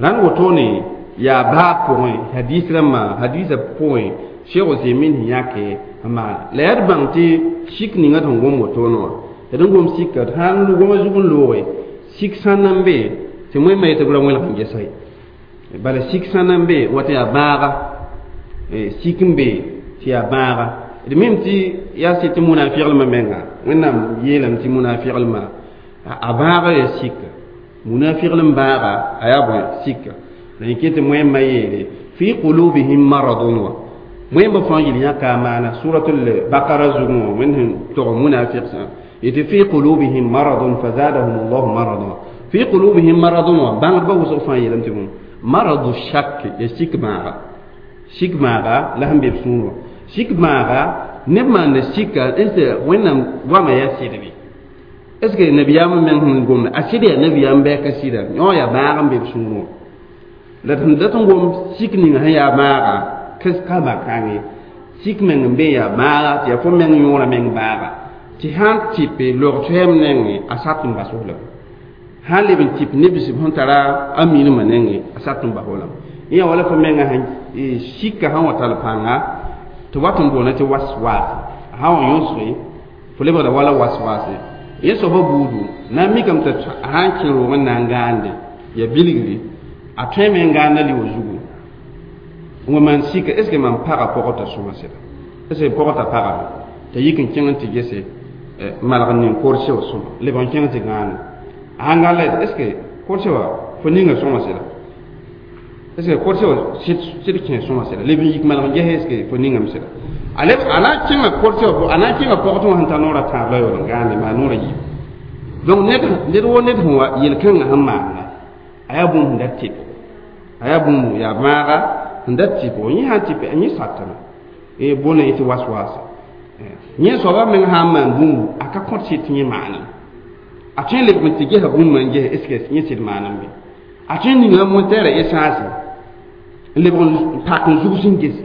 rãnd wotone yaa baab pʋgẽ hadis rãmbã hadisã pʋgẽ Cheikh Ousaimin sẽn yãke n maana la yaa d bãng tɩ sik ninga d sẽn gom wotone wã d n gom sika d sãn goma zug n looge sik sã n be tɩ wẽnnaam yetɩ b ra wẽlg n gesa ye bala sik sã n be wa tɩ yaa bãaga sik n be tɩ yaa bãaga d mim tɩ yaa sɩd tɩ munafiglmã menga wẽnnaam yeelame tɩ munafiglmã a bãaga yaa sika munafiglm bãaga a yaa bõe sika la yẽ ket tɩ wẽmba yeele fi qulubihim maradun wa wẽmba fãa yel yãka a maana suratul bakara zugẽ wã wẽnd sẽn tog munafiq sã yetɩ fi qulubihim maradun fazadahum allahu marada fi qulubihim maradun wa bãngdbã wʋsg fãa yeelame tɩ bõe maradu shak ya sik bãaga sik bãaga la sẽn be b sũur wã sik bãaga neb maanda sika est ce wẽnnaam goamã yaa sɩd bɩ est ce que nabiyaamã meng sẽn gomda a sɩd yaa nabiyaam bɩ a ka sɩda yõ yaa bãag n be b sũur wã la d sẽn dat n gom sik ninga sẽn yaa bãaga ka bã-kãng ye sik meng n be yaa bãaga tɩ yaa fo meng yõora meng bãaga tɩ sãn tɩpe log toɛɛm nengẽ a sat n bas f lame sãn leb n tɩp neb sẽn tara a minimã nengẽ a sat n bas f lame yẽ yaa wala fo menga sẽn sika sẽn wa tall pãnga tɩ wat n boona tɩ waswas sã wa yõsge fo lebgda wala waswase yẽ soaba buudu na n mikame tɩ sãn kẽ roog n na n gãande ya bilgri a tõeme n gãanda lɩ zugu n wa maan sika est ce que mam paga pɔgɔ t'a sõma sɩda est ce que pɔgɔ t'a pagame t'a yik n kẽng n tɩ gese malg n ning korse wã sõma leb n kẽng tɩ gãane a sãn gãn la est ce que korse wã fo ninga sõma sɩda est ce que korse wã sɩd kẽ sõma sɩda leb n yik malg n ges est ce que fo ningame sɩda a leb a na n kẽnga korse wã a na n kẽnga pɔgtẽ wã sẽn tar noorã tãab la yaool n gãande maa noorã yiib donc ned ned wo ned sẽn wa yel-kãngã sẽn maanda a yaa bũmb sẽn dat tɩpgo a yaa bũmb yaa bãaga sẽn dat tɩpgo yẽ sãn tɩpe yẽ satame bõna yẽ tɩ was-waasa yẽ soaba meng sã n maan bũmbu a ka kõt sɩd tɩ yẽ maanem a tõe n lebg n tɩ gesa bũmba n ges est ce que yẽ sɩd maanem be a tõe n ninga montɛɛrã essence n lebg n pak n zugs n gese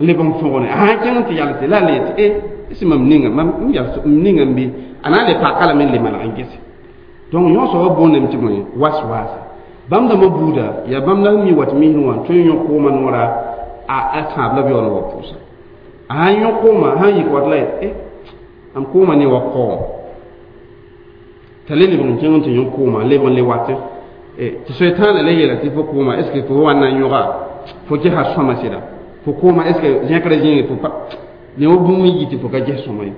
n lebg n fõgne a sãn kẽng n tɩ yals la a le tɩ e est mam ninga mam n yals m ninga n be a na n le paka lame n le maneg n gese donc yõ soaba boondame tɩ bõe was-waasa bãmb dãmbã buuda yaa bãmb la sẽn mi wat misẽ wã tõe n yõ koomã noora a tãab la b yaool n wa pʋʋsa a sãn yõ koomã sãn yik wat la yet e am koomã ne wa kaoom t'a le lebg n kẽng n tɩ yõ koomã lebg n le watẽ tɩ soetãanã le yeela tɩ fo koomã est ce que fo wa na n yõga fo gesa sõma sɩda fo koomã est ce que zẽkra zĩige fo pa ne wa bũmb n yi tɩ fo ka ges sõma ye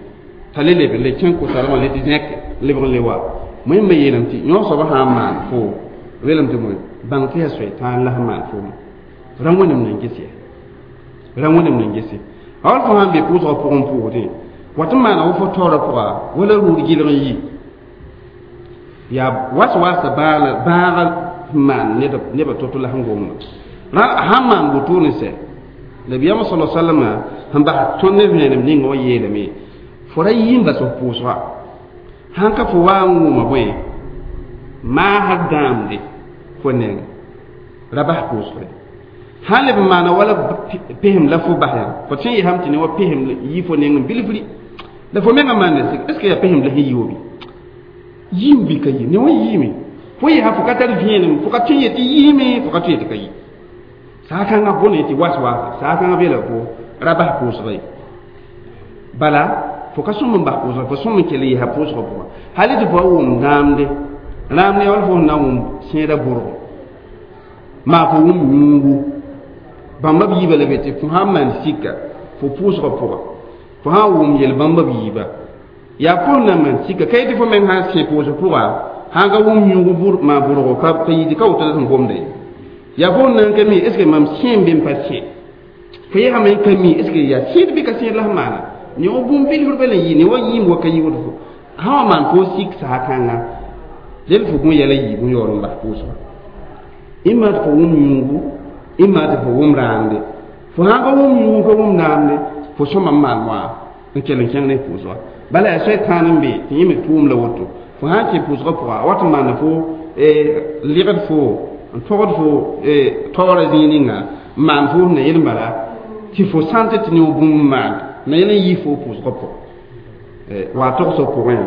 t'a le leb n le kẽng ko-talgã le tɩ zẽk lebg n le wa wẽmba yeelame tɩ yõ soaba sã n maan fo weelame tɩ bõe bãng tɩ yaa soetãan la sẽn maan foom ra wẽnem nan ges ya ra wẽnem nan gese a wal fo sãn be pʋʋsgã pʋgẽ pʋʋsdẽ wat n maana wa fo taoorã pʋga wala rʋʋd gɩlg n yi yaa was-waasã bãaga sẽn maan nebã to-to la sẽn gomda sãn maan wotone sɛ nabiyaamã sala sallama sẽn bas tõnd ne vẽenem ninga wã yeelame fo ra yɩ n bas f pʋʋsga sãn ka fo wa n wʋma bõe maasd dãamde fo neng ra bas pʋʋsgre sãn leb n maana wala pesem la fo bas yã fo tõe n yesame tɩ ne wa pesem yi fo neng n bilfri la fo menga maanda sik est ce que yaa pesem la sẽn yi wa bɩ yiim bɩ ka yi ne wa yiime fo yesa fo ka tar vẽenem fo ka tõe n yetɩ yiime fo ka tõe yetɩ ka yi saa-kãngã bõne tɩ was-waasa saa-kãngã beela fo ra bas pʋʋsga ye bala fo ka sõm n bas pʋʋsga fo sõm n kell n yesa pʋʋsgã pʋgã hali tɩ fo wa wʋm rãamde rãamde yaa wala fo sẽn na n wʋm sẽeda bʋrgo maa fo wʋm yũugu bãmba b yiibã la be tɩ fo sãn maan sika fo pʋʋsgã pʋga fo sãn wʋm yel bãmba b yiiba yaa fo na maan sika ka yetɩ fo meng sãn sẽ pʋʋsg pʋga sãn ka wʋm yũugu maa bʋrgo ka ka yitɩ ka woto la sẽn gomda ye yaa fo nan ka mi est ce que mam sẽem bɩ n pa sẽ fo yesame n ka mi est ce que yaa sẽed bɩ ka sẽed la sẽn maana ne wa bũmb bilfr bala n yɩ ne wa yĩm wa ka yi woto fo sã wa maan fo sik saa-kãnga del fo gõ yɛla yiib n yaool n bas pʋʋsga ĩmma tɩ fo wʋm yũugu ĩmma tɩ fo wʋm raamde fo sãn ka wʋm yũugu ka wʋm raamde fo sõma n maan wã n kell n kẽng ne pʋʋsga bala yaa soay-tãan n be tɩ yẽ me tʋʋm la woto Fo sã n kẽ pʋʋsgã pʋga a wat n maanda fo lɩgd fo n togd fo taoorã zĩig ninga n maan fo na yel bala tɩ fo sãn tɩ tɩ yõ bũmb n maan na yel n yɩ fo pʋʋsgã pʋgẽ wa togsg pʋgẽ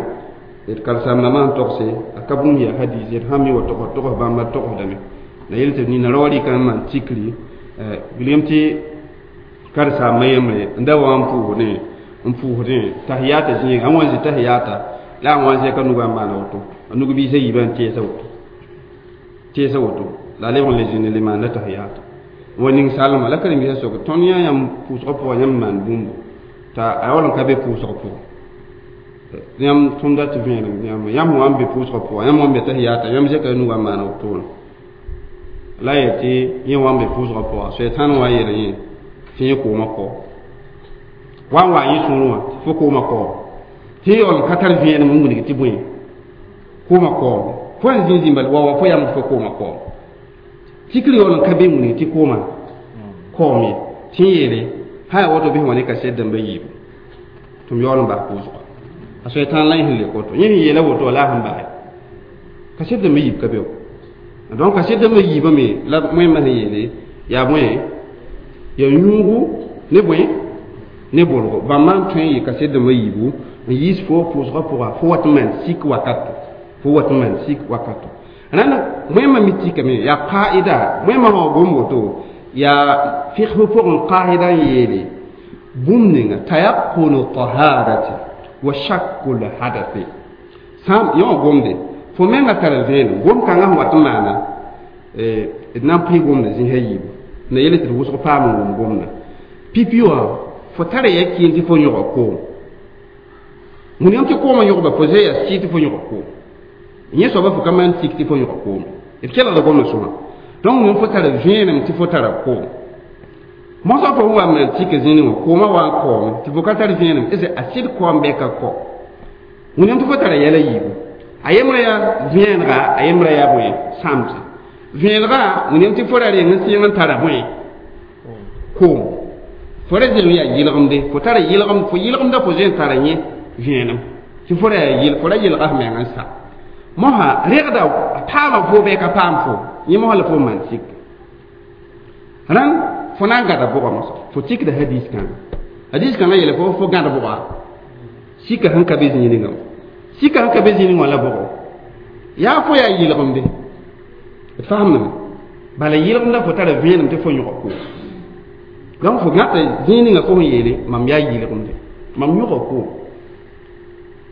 d karen-saambdãmbã sẽn togse a ka bũmb yaa hadis d sãn mi wa togs togs bãmba togsdame la yel tɩ nina rao rɩka n maan tikri wilgame tɩ karen-saambã yembre n da wa n pʋʋsdẽ n pʋʋsdẽ tahiyata zĩiga a wa n zĩ tahiyata la a wa n zẽka nugã n maana woto a nug-biisã yiibã n teesa woto teesa woto la a lebg n le zĩnd le maanda tahiyata wa ning salma la karen-biisã sok tõnd yã yãmb pʋʋsgã pʋgã yãmb maan bũmbu t'a a yaool n ka be pʋʋsgã pʋgẽ yãmb tõnda tɩ vẽenem yãmb yãmb wa n be pʋʋsgã pʋgã yãmb wa n be tahiyata yãmb zẽka nugã n maana wotone la yel tɩ yẽ wa n be pʋʋsgã pʋga soɛtãn wa n yeel yẽ tɩ yẽ koomã kao wa n wa yẽ sũurẽ wã tɩ fo koomã kaoom tɩ yaool n ka tar vẽenem n wilg tɩ bõe koomã kaoom fo n zĩ zĩmba wa wa fo yam fo koomã kaoom tikr yaool n ka be n wilg tɩ koomã kaoom ye tɩ n yeele sã yaa woto bɩ sẽn wa ne kaset dãmba yiibu tɩ m yaool n bas pʋʋsga a soɛtãn la yẽ sẽn le koto yẽ sẽn yeela woto la a sẽn basɛ kaset dãmba yiib ka be donc kaset dãmba yiibame la wẽmba sẽn yeele yaa bõe yaa yũugu ne bõe ne bolgo bãmba n tõe n yɩ kaset dãmba yiibu n yiis fo pʋʋsgã pʋga fo wat n maan sik wakato fo wat n maan sik wakato rãnd wẽmba mi tikame yaa qaida wẽmba sã gom woto yaa figsb pʋgẽ qaida n yeele bũmb ninga tayaqunu taharati wa shakku lhadathi sã yõ gomde fo menga tara vẽenem gom kãngã sẽn wat n maana d na n pʋɩ gomda zĩsã yiibu na yele tɩ d wʋsg paam n wʋm gomda pipi wã fo tara ya kɩɩn tɩ fo yõga koom wẽnnaam tɩ koomã yõgba fo zã yaa sɩ tɩ fo yõga koom yẽ soaba fo ka maan tik tɩ fo yõga koom d kelgda gomda sõma donc wẽn fo tara vẽenem tɩ fo tara koom mosã fo wa maan tik zĩni wã koomã wa n kaoome tɩ fo ka tar vẽenem es a sɩd kaoom bɩ ka kao wẽnnaam tɩ fo tara yɛla yiibu a yembrã yaa vẽenega a yembrã yaa bõe sãmse vẽenega wẽnnaam tɩ fo ra reng n sɩng n tara bõe koom fo ra zeng yaa yɩlgemde fo tara yɩlgem fo yɩlgemda fo zẽ tara yẽ vẽenem tɩ fo ra yaa yɩl fo ra yɩlga f meng n sa mosã rẽgda a paama fo bɩ ka paam fo yẽ mosã la fo maan sik rãnd fo na n gãda bʋga mosã fo tikda hadis kãnga hadis kãngã yeele fo fo gãd bʋga sika sẽn ka be zĩig ningã sika sẽn ka be zĩig ningã la bʋgo yaa fo yaa yɩlgemde d fasemdame bala yɩlgemda fo tara vẽenem tɩ fo yõga koom donc fo gãta zĩig ninga fo sẽn yeele mam yaa yɩlgemde mam yõga koom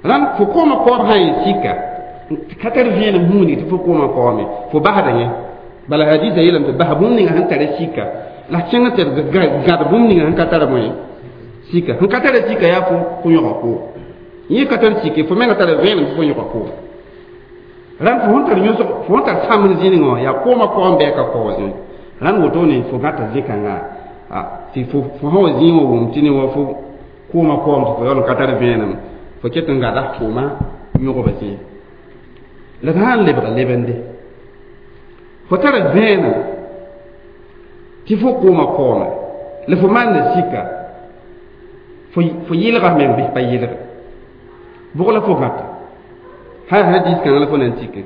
rãnd fo koomã kaoob sã n yɩ sika ka tar vẽenem sẽn wilg tɩ fo koomã kaoome fo basda yẽ bala hadisa yeelame tɩ bas bũmb ninga sẽn tara sika la kẽng tɩ d gãd bũmb ninga sẽn ka tara bõe sika sẽn ka tara sika yaa fo fo yõga koom yẽ ka tar sike fo menga tara vẽenem tɩ fo yõga koom rãnd fo sẽn tar yõsg fo sẽn tar sãmb zĩnigã wã yaa koomã kaoom bɩ a ka kao zĩig rãnd wotone fo gãta zĩ-kãnga tɩ fo fo sã wa zĩig wã wʋm tɩ ne wa fo koomã kaoom tɩ fo yaool n ka tar vẽenem fo ket n gada koomã yõgba zĩig la d sã n lebga lebende fo tara vẽenem tɩ fo koomã kaoome la fo maanda sika fo fo yɩlga meng bɩ pa yɩlge bʋg la fo gãta ha hadis kãngã la fo na n tike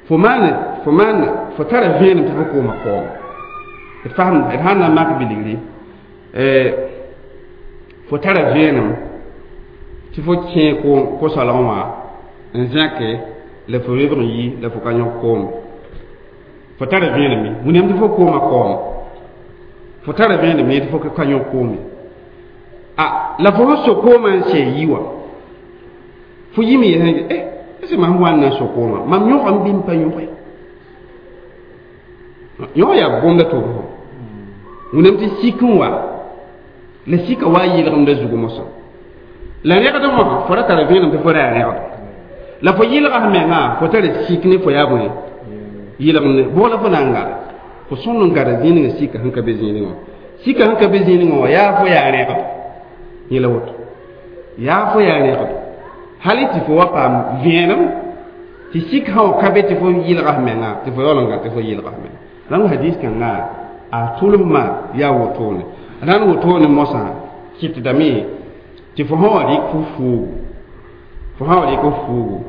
fo maan fo maan fo tara vẽenem tɩ fo koomã kaoome d fasem d sãn na n mak bilgri fo tara vẽenem tɩ fo kẽ ko-soalgẽ wã n zẽke la fo lebg n yi la fo ka yõk koome fo tara vẽenem ye wẽnnaam tɩ fo koomã kaoome fo tara vẽenem ye tɩ fo ka yõk koome a la fo sẽn so koomã n sɛ yi wã fo yim yɛsẽ eh est ce mam wa n na n so koomã mam yõgame bɩ m pa yõge yõ yaa gomda tʋb fo wẽnnaam tɩ sik n wa la sika wa yɩlgemda zugu mosã la rẽgd wã fo ra tara vẽenem tɩ fo ra yaa rẽgd la fo yɩlga f mengã fo tara sik ne fo yaa bõe yɩlgemde bʋg la fo na n gada fo sõnd n gada zĩig ninga sika sẽn ka be zĩig ningã sika sẽn ka be zĩig ningã wã yaa fo yaa rẽgd yẽ la woto yaa fo yaa rẽgd hali tɩ fo wa paam vẽenem tɩ sik sã wa ka be tɩ fo yɩlga f menga tɩ fo yaool n gã tɩ fo yɩlga f menga rãng hadis kãnga a tʋlsmã yaa wotone rãnd wotone mosã kɩtdame tɩ fo sã wa rɩk fo fuugu fo sã wa rɩk f fuugu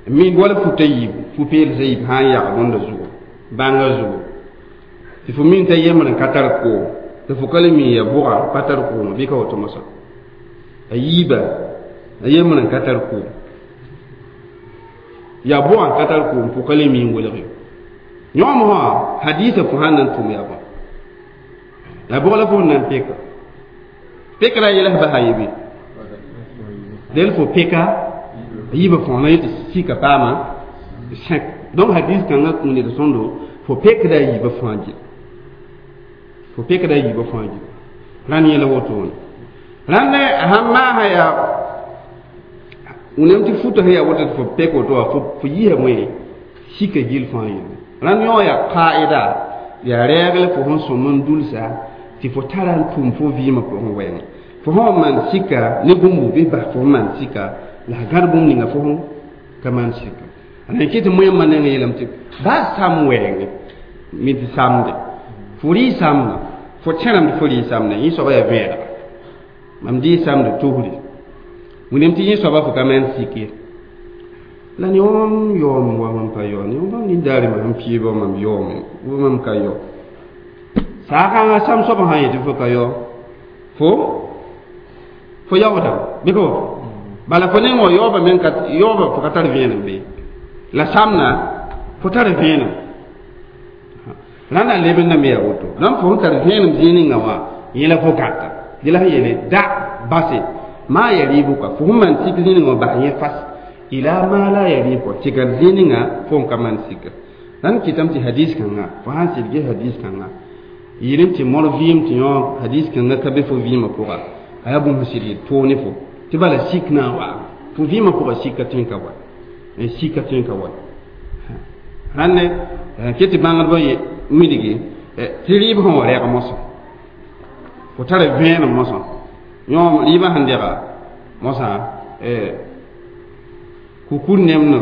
Min wala futa yiib fu-peels a yiib sã n yag bõnda zugu bãnga zugu tɩ fo min t'a yembr n ka tar koom tɩ fo ka le mi ya bʋga pa tar koom bɩ ka woto mosã a yiiba a yembr n ka tar koom ya bʋga n ka tar koom fo ka le mi n welg yo yõom sã hadiisã fo sãn na n tʋm yaa bõe la bʋg la fo sẽn na n peka pekra yɛls basa ye bɩ del fo peka a yiibã fõ na yetɩ sika paama sẽk donc hadis kãngã kũu ned sõndo fo pekda a yiibã fãa gil fo pekda a yiibã fãa gil rãnd yẽla wotone rãnd sãn maasa yaa wẽnnaam tɩ futa sẽn yaa woto tɩ fo pek woto wã fo yiisa bõe sika gil fãa yelle rãnd yõ yaa qaida yaa rɛɛgl fo sẽn sõm n dulsa tɩ fo tara n tʋm fo vɩɩmã pʋgẽ wɛɛngẽ fo sã n maan sika ne bũmbu bɩ bas fo sẽn maan sika la a gãd bũmb ninga fo sẽn ka maan sika a kɩ tɩ moẽmã nengẽ yeelame tɩ baa sam wɛɛngẽ mi tɩ samde fo rɩ samda fo tẽrame tɩ fo rɩ samda yẽ soaba yaa vẽedga mam dɩ samd tosri wẽnnaam tɩ yẽ soaba fo ka maan sik ye la ne mam yaoom wa mam pa yao ne mam nin-daare mam sẽn pɩɩbã mam yaoome wa mam ka yao saakãngã sam soab sã n yetɩ fo ka yao fo fo yaoodame bɩ ka woto bala fo neng wa yaooba meng ka yaooba fo ka tar vẽenem be la samna fo tar vẽenem rãnda n leb n na me yaa woto dãmb fo sẽn tar vẽenem zĩig ninga wã yẽ la fo gãta yẽ la sẽn yeele da base maa ya rɩɩbʋka fo sẽn maan sik zĩig ninga wã bas yẽ fas ila ma la yaribu tɩ gãd zĩig ninga fo n ka maan sika rãnd kɩtame tɩ hadis kãnga fo sãn sɩd ges hadis kãnga yɩlem tɩ mor vɩɩm tɩ yõ hadis kãnga ka be fo vɩɩmã pʋga a yaa bũmb sɩd yel toog ne fo tɩ bala sik na n wa fo vɩɩmã pʋga sika tõe n ka wa sika tõe n ka wa rãnd ket tɩ bãngdbã wilgi tɩ rɩɩb sẽn wa rɛg mosã fo tara vẽenem mosã yõ rɩɩbã sẽn dɛga mosã kukur nemdẽ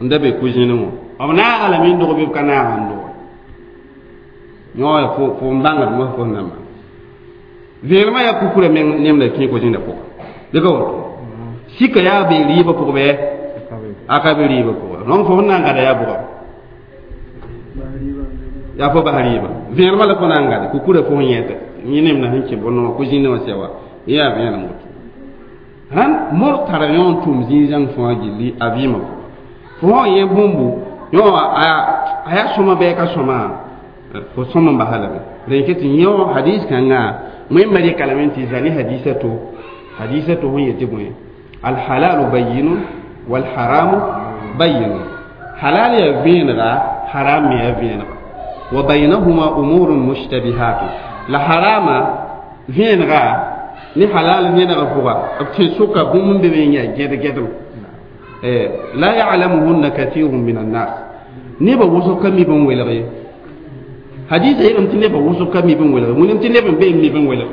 n da be ku-zẽnẽ wã b naaga lame n dog bɩ b ka naaga n doge yõ fo fo n bãngd mos fo sẽn na maan vẽenemã yaa kukurã meng nemda kẽ ko-zẽnda pʋga bɩ ka woto sika yaa be rɩɩbã pʋg bɩ a ka be rɩɩbã pʋga donc fo sẽn na n gada yaa bʋga yaa fo bas rɩɩbã vẽenemã la fo na n gade kukurã fo sẽn yẽta yẽ nemda sẽn kẽ bõn wã ko-zĩndẽ wã sɛ wa yẽ yaa vẽenem woto rãnd mor tara yõ n tʋm zĩig-zãng fãa gilli a vɩɩmã pʋga fo sã n yẽ bũmbu yõ a yaa sõma bɩ a ka sõma fo sõm n basa lame rẽn ket tɩ yõ hadis kãngã wẽnnaam rɩka lame tɩ zã ne hadisa to hadisa to sẽn yetɩ bõe alhalalu bayinun walharamu bayinun halal yaa vẽenega haram me yaa vẽenega wa baynahuma umurun mushtabihatun la harama vẽenega ne halal vẽenega pʋga b tẽ-sʋka bũmb n be me n yaa gẽd-gẽdem la ya'lamuhunna kathirun min annas nebã wʋsg ka mi bõn welg ye hadisa yeelame tɩ nebã wʋsg ka mi bõn welg wẽnnaam tɩ neb n be n mi bõn welg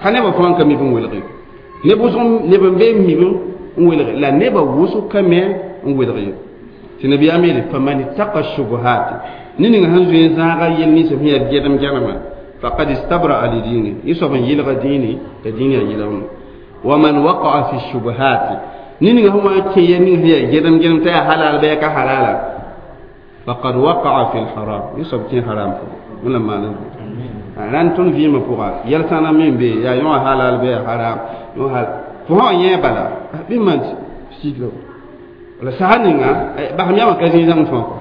ka nebã fãa n ka mi bõn welg ye neb wʋsg neb n be n mi n welg la nebã wʋsg ka me n welg ye tɩ nabiyaam yeele faman ittaqa shubuhat ne ning sẽn zoe n zãaga yel ninsã sẽn yaa gɛdem gɛlmã faqad istabra'a li dini yẽ soab n yɩlga dĩini t'a dĩin yaa yɩlgem wa man waqa'a fi shubuhat ne ning sẽn wa n kẽ yɛl ning sẽn yaa gɛdem gɛlem t'a yaa halal bɩ yaa ka halala faqad waqa'a fi lharam yẽ soab kẽ haram pʋgẽ wẽnnaam maan rãnd tõnd vɩɩmã pʋga yɛl sãna me n be yaa yõ halal bɩ yaa haram yõ hal fo sã n yẽ bala bɩ maan sik la la sasa ninga basem yamã ka zĩig zãng fãa kɔ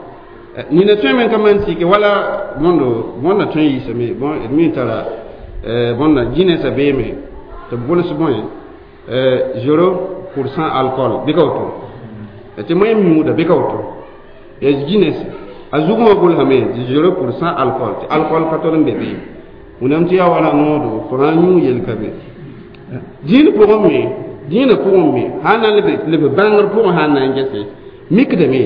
nina tõe me ka maan sike wala bõndo bõnda tõe n yiisame bõn d mi tara bõnda Guinness beeme tɩ b gʋls bõe zéro pour cent alcool bɩ ka woto tɩ moẽm yũuda bɩ ka woto yaa Guinness a zugẽ wã gʋlsame tɩ zéro pour cent alcool tɩ alcool ka tol n be be wẽnnaam tɩ yaa wala noodo fo sã n yũ yel ka be dĩin pʋgẽ me dĩinã pʋgẽ me sã n na n leb bãngr pʋgẽ sã n na n gese mikdame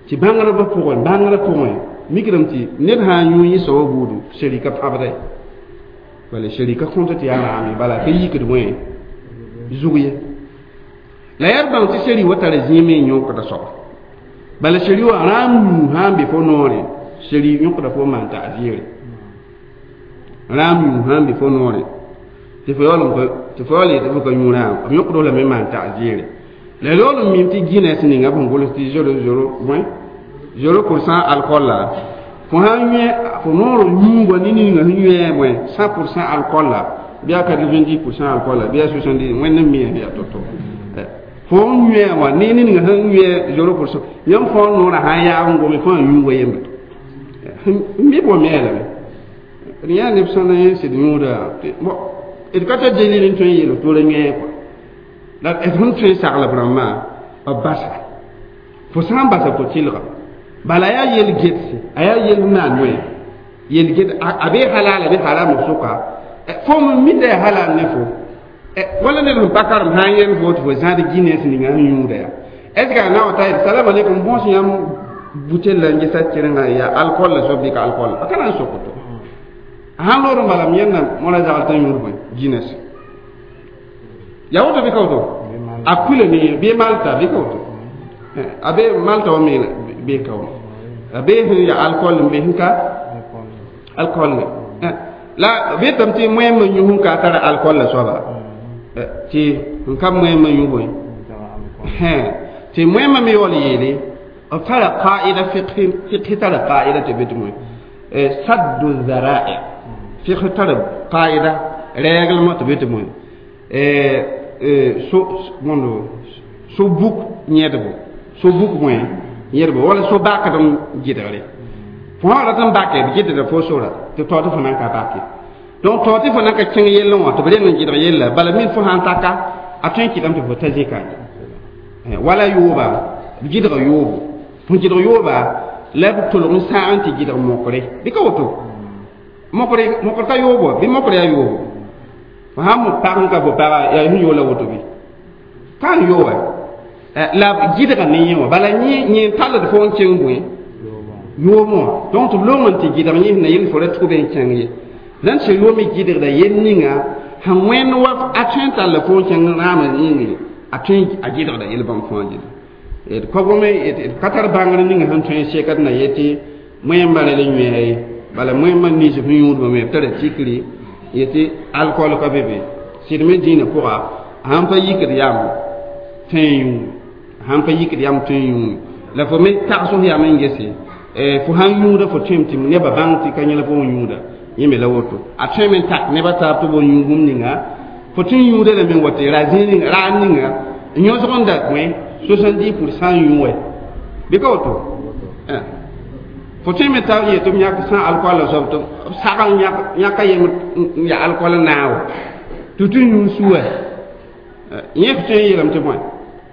tɩ bãngrbã pʋgẽ bãngrã pʋgẽ mikdame tɩ ned sã n yũ yẽ soabã buudu sherika pãbda bala sherika kõta tɩ yaa raame bala ka yikd bõe zug ye la yaa d bãng tɩ sheri wa tara zĩime n yõkda soaba bala sheri wã rãam yũ sã n be fo noore sheri yõkda fo maan ta'ziire rãam yũ sã n be fo noore tɩ fo yaool tɩ fo yaool yetɩ fo ka yũ rãam b yõkd lame maan ta'ziire La lool n mim tɩ Guinness ninga b sẽn gʋls tɩ zéro zéro bõe zéro pour cent alcool la fo sãn yẽ fo noor yũuga ne ninga sẽn yẽ bõe cent pour cent alcool la bɩ a quatre-vingt-dix pour cent alcool la bɩ a soixante-dix wẽnd n mi yaa to-to fo n yẽ wã ne ninga sẽn yẽ zéro pour cent yãmb fõ noorã sãn yaag n gome fo n yũuga yembre n mi bõ me lame d yã neb sã na yẽ sɩd yũuda bon d ka tar delil n tõe n yeel tɩ ra yẽ kɔa la d sẽn tõe n saglb rãmbã b basa fo sã n basa fo tɩlga bala yaa yel getse a yaa yel maan wẽ yel get a be halal a be haram sʋka fo m mi t'a yaa halal ne fo wala ned sẽn pa karem sã n yel fo tɩ fo zãad Guinness ninga sẽn yũuda yaa est ce que a na wa ta yel salam alaikum bõs yãmb butel la n gesa tɩrengã yaa alcool la soab bɩ ka alcool a ka na n sok to a sãn loor n bala m yẽnda mõra zagl t'a yũud bõe Guinness yaa woto bɩ ka woto a kula ne bɩ Malta bɩ ka woto a be Malta wa me be ka wa a be sẽn ya alcool n be sẽn ka alcool ne la be tame tɩ moẽmã yũ sẽn ka tara alcool la soaba tɩ n ka moẽmã yũ bõe tɩ moẽmã me yaool yeele b tara qaida fiqh tara qaida tɩ be tɩ moẽ saddu zara'i fiqh tara qaida règlement tɩ be tɩ moẽ so mondo so buk yẽdbo so buk bõe yẽdbo wala so bakd n gɩdgre fo sã rat n bake b gɩdda fo sora tɩ tao tɩ fo nan ka bake donc tao tɩ fo nan ka kẽng yellẽ wã tɩ b reng n gɩdg yella bala min fo sãn taka a tõe n kɩtame tɩ fo ta zĩka wala yooba b gɩdg yoobo fo gɩdg yooba la b tolg n sãag n tɩ gɩdg mokre bɩ ka woto mokre mokr ka yoobo bɩ mokr yaa yoobo fo sãn mo pag n ka fo paga yaa sẽn yoola woto bɩ ka n yooba la gɩdga ne yẽ wã bala yẽ yẽ talld fo n kẽng bõe yoom wã donc tɩ b loong n tɩ gɩdg yẽ sẽn na yel fo ra tʋg n kẽng ye rãnd sẽn loome gɩdgda yel ninga sẽn wẽnd wa a tõe n talla fo n kẽng rãamã yĩngre a tõe a gɩdgda yel bãmb fãa gɩdg d ka gome d ka tar bãngr ninga sẽn tõe n sekd na yetɩ moẽmbã rẽ la yõa ye bala moẽmbã nins sẽn yũudbã me b tara tikri yetɩ alcool ka be be sɩd me dĩinã pʋga sãn pa yikd yam tõe n yũu sãn pa yikd yam tõe n yũu la fo me tags f yam n gese fo sãn yũuda fo tõem tɩ nebã bãng tɩ ka yẽla fo n yũuda yẽ me la woto a tõe me n tak nebã taab tɩ b yũ bũmb ninga fo tõe n yũuda lame n wa tɩ ra zĩig ninga raar ninga yõsg n da bõe soixante-dix pour cent yũ wɛ bɩ ka woto fo tõe me t'a yetɩ b yãk sã alcool la soab tɩ b sag n yãka yem n ya alcool n naag tɩ tɩ yũ su wɛ yẽ f tõe n yeelame tɩ bõe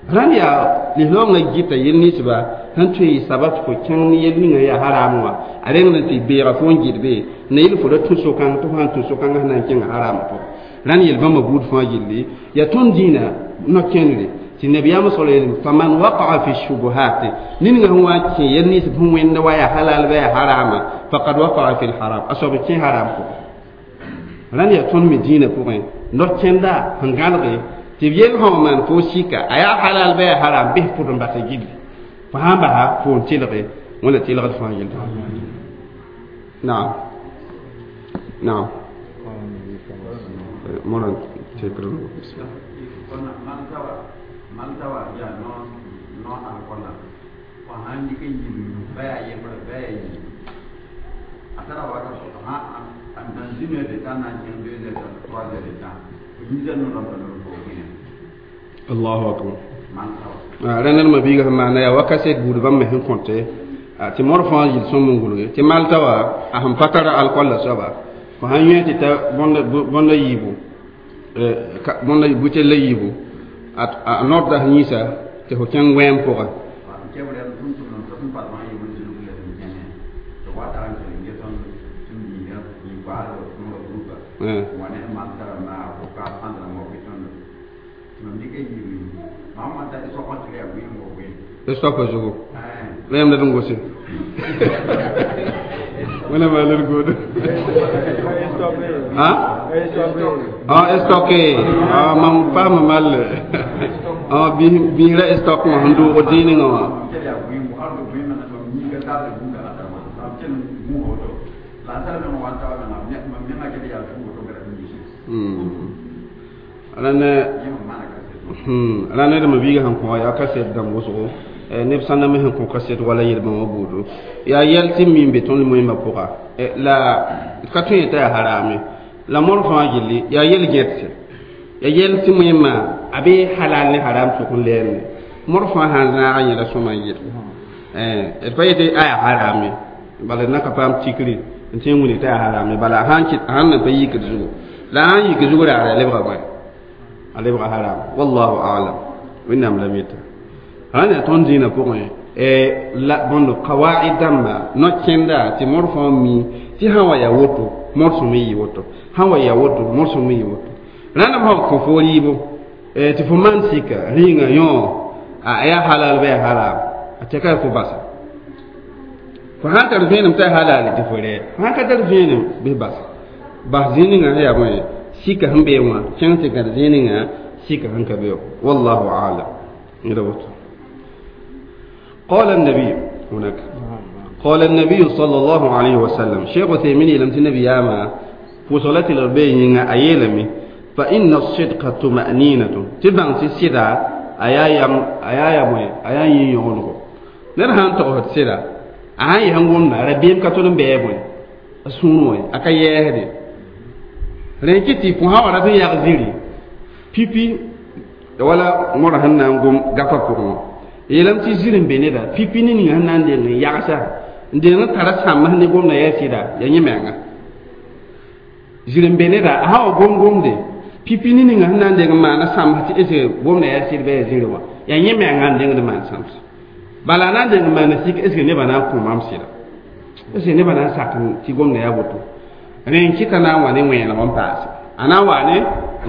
rãnd yaa lislaoongã gɩta yel ninsba sẽn tõe n yɩ sabab tɩ fo kẽng ne yel ninga yaa haram wã a reng n tɩ beega fo n gɩd be na yel fo ra tũ so-kãng tɩ fo sãn tũ so-kãngã sẽn na n kẽnga haram pʋgẽ rãnd yel bãmba buud fãa gilli yaa tõnd dĩinã no-kẽndre tɩ nabiyaamã sal yeelame faman waqaa fi shubuhat ninga sẽn wa n kẽ yel nins sẽn wẽnda wa yaa halal ba yaa harama faqad waqaa fi lharam a soab kẽ haram pʋgẽ rãnd yaa tõnd me dĩinã pʋgẽ no-kẽnda sẽn gãlge tɩ b yel sã maan fo sika a yaa halal ba yaa haram bɩs pʋd n basa gilli fo sãn basa fo n tɩlge wẽnna tɩlgd fãa yell naam naam mora tekr Malta wa ya no no alcool wa han ni ke yi ba ya ye ba ya yi atara wa ka so ha an dans une heure de temps na kẽng deux heures trois heures de temps yi za no la no ko Allahu akbar rẽnd ma biiga sẽn maana yaa wakaset buud bãmb me sẽn kõte tɩ mor fãa yel sõm n gʋlge tɩ malta wa a sẽn pa tara alcool la soaba fo sãn yẽ tɩ ta bõnda yiibu bõnda butel la yiibu a nordda sẽn yĩsa tɩ fo kẽng wẽem pʋga stop zugu la yam la dun gosi wala ma lor godo ha ah stocké ah mam pa ma mal ah bi bi la stock ma handu o dini nga hmm alana La ned me biiga sẽn kõ yaa kaset dãmb wʋsgo neb sãnda me sẽn kõ kaset wala yel-bãmba buudu yaa yɛl tɩ mi n be tõnd moẽmbã pʋga la ka tõe t'a yaa harame la mor fãa gilli yaa yel gẽdse yaa yɛl tɩ moẽmbã a be halal ne haram sʋk n lɛɛnde mor fãa sãn zãaga yẽla sõma n yɩl d pa yetɩ a yaa harame bala d na ka paam tikri n tẽ n wilg t'a yaa harame bala a sãn na pa yikd zugu la a sãn yik zug raara a lebga bõe a lebga haram wallahu alam wẽnnaam la mita sãn yaa tõnd dĩinã pʋgẽ la bõnd kawaid dãmba no-kẽnda tɩ mor fãa mi tɩ sã wa yaa woto mor sõm n yɩ woto sã wa yaa woto mor sõm n yɩ woto rãndb sã kõ fo rɩɩbo tɩ fo maan sika rĩnga yõ a yaa halal bɩ yaa haram a tɛka fo basa fo sãn tar vẽenem t'a halal tɩ fo rɛ fo sãn ka tar vẽenem bɩ basa bas zĩig ninga sẽn yaa bõe sika sẽn bee wã kẽng tɩ gãd zĩig ninga sika sẽn ka be wallahu alam yẽla woto قال النبي هناك قال النبي صلى الله عليه وسلم شيخ عثيمين لم تنبي ياما وصلت الأربعين أيلمي فإن الصدق طمأنينة تبان سيدا أيا يم أيا يم أيا ينيونغو نرهان تقول سيدا أيا يهنغوم ربيم كتولم بيبون سونوي أكا يهدي رنكتي فها ورا يغزيري pipi wala mora sẽn na n gom gafã pʋgẽ wã yeelame tɩ zir n be neda pipi ne ninga sẽn na n deng n yagsa n deng n tara sãmbs ne gomda yaa sɩda yaa yẽ menga zir n be neda a sã wa gom gomde pipi ne ninga sẽn na n deng n maana sãmbs tɩ est gomda yaa sɩd bɩ yaa zĩri wã yaa yẽ menga n dengd maan sãmbs bala a na n deng n maana sik est nebã na n kõ mam sɩda est nebã na n sak tɩ gomda yaa woto rẽ n kɩta na n wa ne wẽeneg n paase a na n wa ne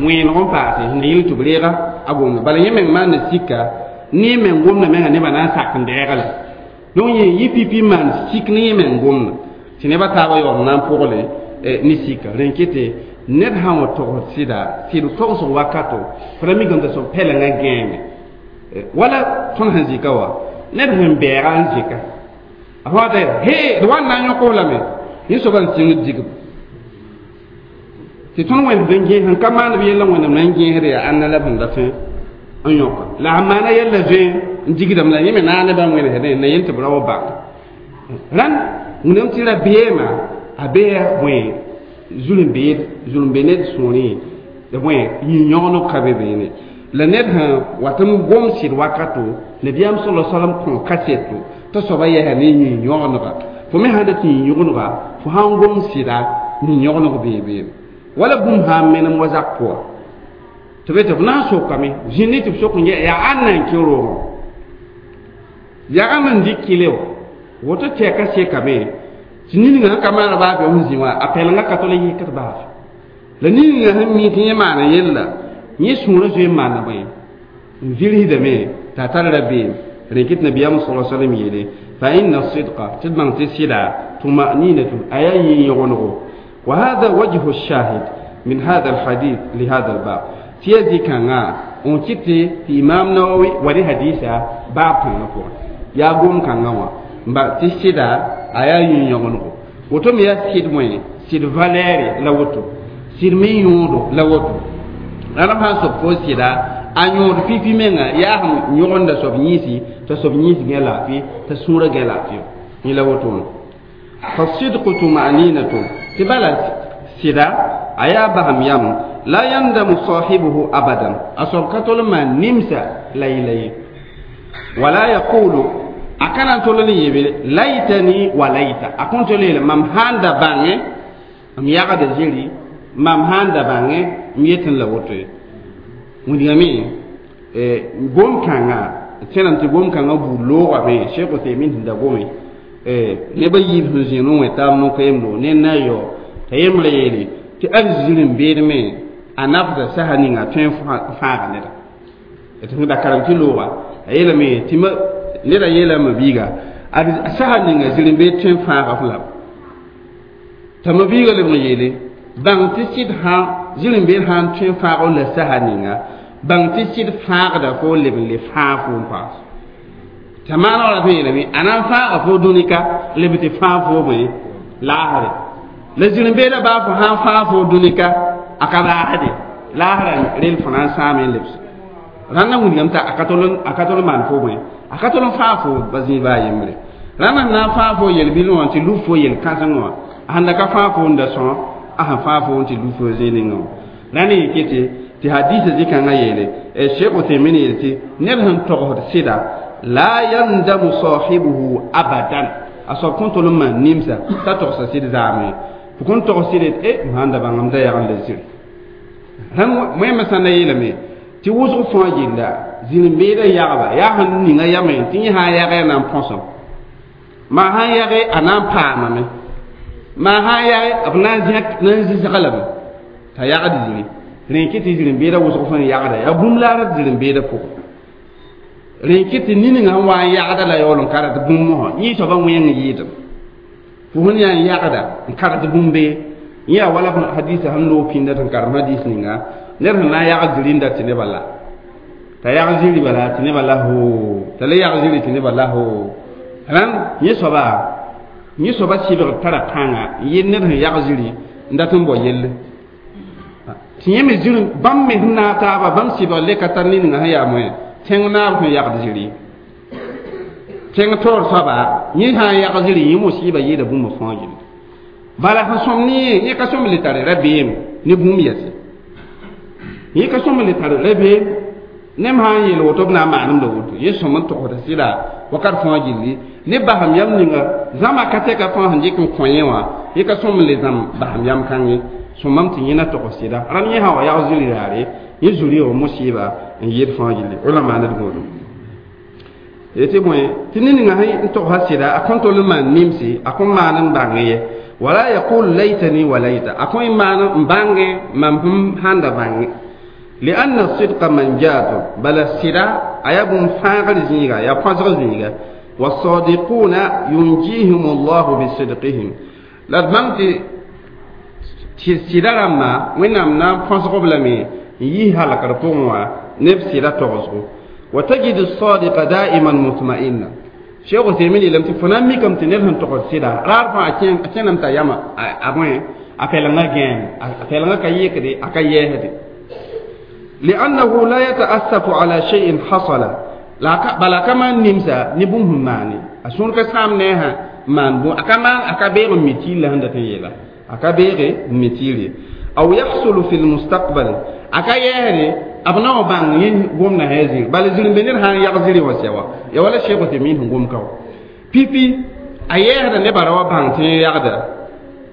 wẽeneg n paase sẽn yɩl tɩ b reega a gomda bala yẽ meng maanda sika ne meng gomda menga nebã na n sak n dɛɛga la donc yẽ yɩ pipi maan sik ne yẽ meng gomda tɩ nebã taabã yaool na n pʋgle ne sika rẽ n kɩtɩ ned sã n wa togsd sɩda sɩd togsg wakato fo ra mikame t'a soab pɛlengã gãeme wala tõnd sẽn zɩka wa ned sẽn bɛɛga n zɩka a fã t'a he d wa n na n yõk f lame yẽ soaba n sɩngd digb tɩ tõnd wẽnd n gẽes n ka maand b yella wẽnnaam na n gẽesd yaa ãnna la b sẽn dat n yõka la a maana yella zoe n digdame la yẽ me naag nebã wẽnesdẽ na yel tɩ b ra wa bãng rãnd wẽnnaam tɩ rabeemã a bee bõe zulm-beed zulm-be ned sũurẽ bõe yĩn-yõgeneg ka be beene la ned sẽn wat n gom sɩd wakato nabiyaam sala salam kõ kaseto t'a soaba yɛsa ne yĩn-yõgenega fo me sãn dat yĩn-yõgenega fo sãn gom sɩda yĩn-yõgeneg bee beene wala bũmb sã n menem wa zak pʋga tɩ be tɩ b na n sokame zĩnd tɩ b sok n yɛ yaa ãnna n kẽ roogẽ yagam n dɩk kɩle wã woto tɛka sekame tɩ niningã sẽn ka maana baa be sẽn zĩ wã a pɛlengã ka tol n yɩkd baase la niningã sẽn mi tɩ yẽ maana yella yẽ sũurã zoe n maana bõe n vilsdame t'a tar rabeem rẽ kɩt nabiyaam sala salam yeele fa inna sidqa tɩ d bãng tɩ sɩda tumaninatun a yaa yĩn-yõgenego وهذا وجه الشاهد من هذا الحديث لهذا الباب تيزي كان on kiti ti imam nawawi wani hadisa bab kãngã pʋgẽ yaa gom kãngã wã n ba tɩ sɩda a yaa yĩn-yõgenego woto me yaa sɩd wẽ sɩd valɛɛre la woto sɩd me yõodo la woto rãmb sã n sob fo sɩda a yõod pipi menga yaa sẽn yõgenda soab yĩisi t'a soab yĩis gẽ laafɩ t'a sũurã gẽ laafɩ yẽ la woto wã فالصدق طمأنينة تبالا سدا أيا بهم يم لا يندم صاحبه أبدا أصاب كتول ما نمسا ليلي ولا يقول أكان تولني يبي ليتني وليت أكون تولي مام هاندا بانge am yagda zĩri mam sãn da bãnge m yetẽ la woto ye wĩndgame gom-kãngã tẽnam tɩ gom-kãngã buud loogame Cheikh Uthaymin sẽn da gome nebã yiib sẽn zĩig ne wẽ taab no-koeemdo ne na yao t'a yembrã yeele tɩ ad zir n beedme a nafda sasa ninga tõe n fãaga neda tɩ sẽn da karem tɩ looga a yeelame tɩ neda yeelame biiga ad sasa ninga zir n beed tõe n fãaga f lame t'a ma biiga leb n yeele bãng tɩ sɩd sã zir n beed sã n tõe n fãag la sasa ninga bãng tɩ sɩd fãagda fo leb n le fãag fo n paas t'a maana wã ra yeelame a na n fãaga fo dũnika leb tɩ fãag fo bõe laasre la zir n beeda baa fo sã n fãag fo dũnika a ka laasde laasrã rel fo na n sãame n lebs Rãnda wilgame t'a a ka tol a ka tol n maan fo bõe a ka tol n faa fo ba zĩig baa yembre rãnda sẽn na n faa fo yel-bil wã tɩ lub fo yel-kãseng wã a sẽn da ka faa fo n da sõ a sẽn faa fo n tɩ lub fo zĩig ningã wã rãnd yɩ kete tɩ hadisa zĩ-kãngã yeele Cheikh Uthaymin yeel tɩ ned sẽn togsd sɩda la yandamu sahibuhu abadan a soab kõn tol n maan nimsa t'a togsa sɩd zaame fo kõn togs sɩd yet e m sãn da bãngame da yagn la ziri rãmb wẽmã sã na yeelame tɩ wʋsg fãa gilla zĩr-n-beedã yagba yaa sẽn ninga yamẽ tɩ yẽ sã n yagɛ a na n põsem maa sã n yage a na n paamame maa sã n yage b na n zẽk na n zɩsg lame t'a yagd zĩri rẽ kɩ tɩ zĩr-n-beedã wʋsg fãa n yagda yaa bũmb la a rat zĩr-n-beedã pʋgẽ rẽ kɩ tɩ niningã sẽn wa n yagda la yaool n ka rat bũmb mosã yẽ soabã wẽng yɩɩdem fo sẽn yaa n yagda n ka rat bũmb be yẽ yaa wala hadisa sẽn loog pĩnda tɩ n karem hadis ninga ned sẽn na n yagd zĩri n dat tɩ nebã la t'a yag zĩri bala tɩ nebã la hoo t'a le yag zĩri tɩ nebã la hoo rãnd yẽ soaba yẽ soaba sɩbgr tara pãnga n yel ned sẽn yag zĩri n dat n bao yelle tɩ yẽ me zĩr bãmb me sẽn naag taaba bãmb sɩbgr le ka tar niningã sẽn yaa moẽ tẽng naab sẽn yagd zĩri tẽng taoor soaba yẽ sã n yag zĩri yẽ mosiiba yɩɩda bũmb fãa gilli bala sẽn sõm ne yẽ yẽ ka sõm le tare rabeem ne bũmb yɛse yẽ ka sõm le tare rabeem nem sã n yeel woto b na n maanemda woto yẽ sõm n togsda sɩda wakat fãa gilli ne basem yam ninga zãma ka tɛka fãa sẽn dɩk n kõ yẽ wã yẽ ka sõm n le zãm basem yam kãngẽ sõmam tɩ yẽ na togs sɩda rãnd yẽ sã wa yag zĩri raare yẽ zuri wã mosiiba n yɩɩd fãa gilli wala maaned gõodum tɩ bõe tɩ ned-ninga sẽn togsa sɩda a kõn tol n maan nimsi a kõn maan n bãng ye wala yaqul laytani wa layta a kõn maan n bãnge mam sẽn sãn da bãnge lianna sidqa manjatu bala sɩda a yaa bũmb fãagr zĩiga yaa põsg zĩiga wasadiquna yunjihim allahu bisidqihim la d bãng tɩ tɩ sɩda rãmba wẽnnaam na n põsg b lame n yis halkr pʋgẽ wã neb sɩda togsgo wa tajidu sadiqa daiman mutma'inna Cheikh Uthaymin yeelame tɩ fo na n mikame tɩ ned sẽn togsd sɩda raar fãa a kẽname t'a yama a bõe a pɛlengã gãeem a pɛlengã ka yɩkde a ka yɛɛsde li'annahu la yata'assafu ala shay'in hasala bala ka maan nimsa ne bũmb sẽn maane a sũur ka sãam ne a sã maan bũ a ka maan a ka beeg n mi tɩɩr la sẽn dat n yeela a ka beege n mi tɩɩre aw yahsulu fi lmustaqbal a ka yɛɛsde b na wa bãng yẽ gomda sã zĩri bala zĩr-n-be ned sã n yag zĩri wã sɛ wa ya wala Cheikh Uthaymin sẽn gom ka wa pipi a yɛɛsda nebã ra wa bãng tɩ yẽ yagda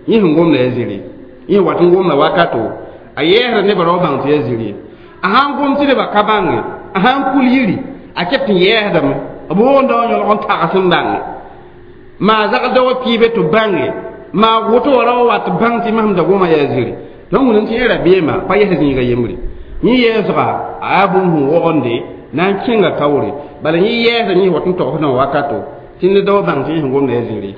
yẽ sẽn gomda yaa zĩri yẽ wat n gomda wakato a yɛɛsda nebã ra wa bãng tɩ yaa zĩri a sãn gom tɩ nebã ka bãnge a sãn kul yiri a ket tɩ yɛɛsdame b woonda wã yõlg n tags n bãnge maa zagda wa piibe tɩ bãnge maa woto wa ra wa wat bãng tɩ masem da goma yaa zĩri donc wẽnnaam tɩ yẽ rabeemã pa yɛs zĩiga yembre yẽ yɛɛsga a yaa bũmb sẽn wogende na n kẽnga kaoore bala yẽ yɛɛsda yẽ wat n togsdã wakato tɩ ned wa bãng tɩ yẽ sẽn gomda yaa zĩri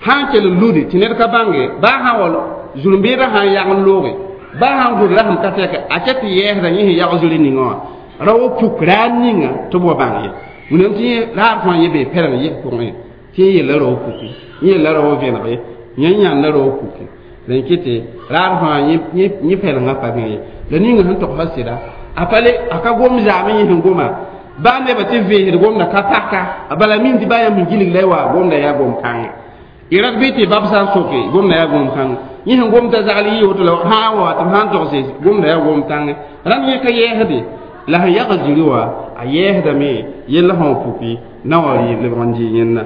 sã n kell n lude tɩ ned ka bãnge baa sã wall zũr-n-beedã sã n yag n looge baa sã n gʋd rasem ka tɛka a ket tɩ yɛɛsda yẽ sẽn yag zĩri ningã wã ra wa puk raar ninga tɩ b wa bãng ye wẽnnaam tɩ yẽ raar fãa yẽ bee pɛleng yɩs pʋgẽ tɩ yẽ yella ra wa puki yẽ yella ra wa vẽnege yẽ yãnda ra wa puki rẽn kɩtɩ raar fãa yẽ pɛlengã pa bẽ ye la ninga sẽn togsa sɩda a pa le a ka gom zaame yẽ sẽn goma baa nebã tɩ veesd gomda ka paka a bala min tɩ baa yãmb sẽn gilg la y wa gomda yaa gom kãngã y rat bɩ tɩ bab sã n soke gomda yaa gom kãngã yẽ sẽn gomda zagl yɩ woto la sã n wa tɩ b sã n togse gomda yaa gom kãngã rãmb yẽ ka yɛɛsde la sẽn yag zĩri wã a yɛɛsdame yella sã n puki na wa lebg n dɩ yẽnna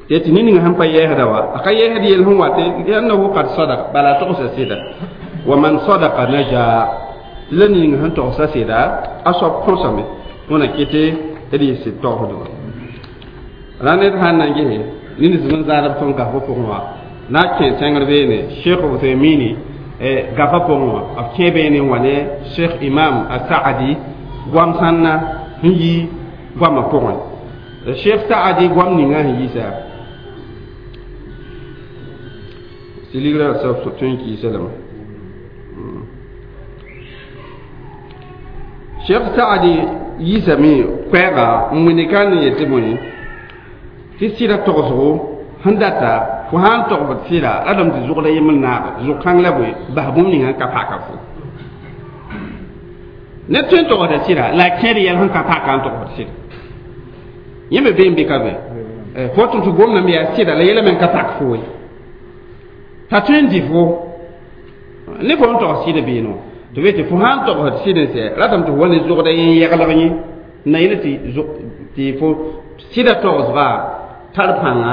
tɩ tɩ ned-ninga sẽn pa yɛɛsda wa a ka yɛɛsd yell sẽn wat liannahu qad sadaq bala a togsa sɩda wa man sadaqa naja la ning sẽn togsa sɩda a soab põsame wẽna kɩtɩ d yɩ sɩd togsdba ra ned sãn na n gese ned zĩ n zãadb tõnd gafã pʋgẽ wã na kẽ tẽngr beene Cheikh Uthaymin gafã pʋgẽ wã b kẽ beene n wa ne Cheikh Imam Asaadi goam sãnna sẽn yi goamã pʋgẽ Cheikh Saadi goam ninga sẽn yiisa tɩ ligrã soab tõe n kɩɩsa lame Cheikh Saadi yiisame koɛɛga n wẽne ka ne yetɩ bõe tɩ sɩda togsgo sẽn data fo sã n togsd sɩda radame tɩ zʋgda yembr naag zʋg-kãng la bõe bas bũmb ninga n ka paka fo Ned tõe n togsda sɩda la a kẽed yɛl sẽn ka paka n togsd sɩda yẽ me bee n be ka be fo tɩ tɩ gomdame yaa sɩda la yɛla me n ka pak fo ye t'a tõe n dɩ fo ne fo n togs sɩd beeno tɩ be tɩ fo sã n togsd sɩd n sɛ ratame tɩ fo wa ne zogda yẽ yɛglg yẽ na yẽl tɩ tɩ fo sɩda togsga tar pãnga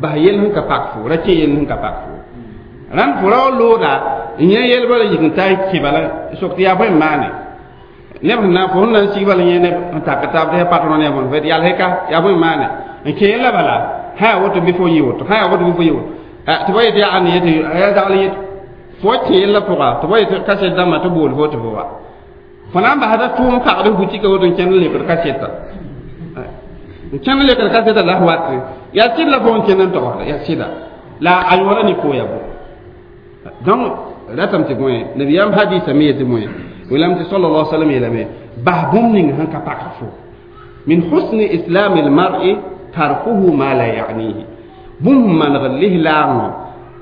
bas yel sẽn ka pak fo ra kẽ yel sẽn ka pak fo rãnd fo ra wa looda n yẽ yɛl bala yik n ta n kẽ bala sok tɩ yaa bõe n maane neb sẽn na fo sẽn na n sig bala yẽ neb n tak taab tɩ ya patron ne bõn fɛd yalsɛ ka yaa bõe n maane n kẽ yella bala sã yaa woto bɩ fo yɩ woto sã yaa woto bɩ fo yɩ woto tɩ ba yetɩ yaa ãnd yetɩ yaa zagl yet fo kẽ yella pʋga tɩ ba yetɩ kaset dãmbã tɩ bool fo tɩ fo wa fo na n basda tʋʋm pagd butika woto n kẽnd n lekd kaseta n kẽnd n lekd kaseta la f wat yaa sɩd la fo n kẽnd n togsda yaa sɩda la a yõora ne koya bo donc ratame tɩ bõe nabiyaam hadisa me yetɩ bõe welam tɩ sallallahu alaihi wasallam yeelame bas bũmb ning sẽn ka pak fo min husni islami lmar'i tarkuhu ma la ya'nihi bũmb sẽn manegd lislaangõ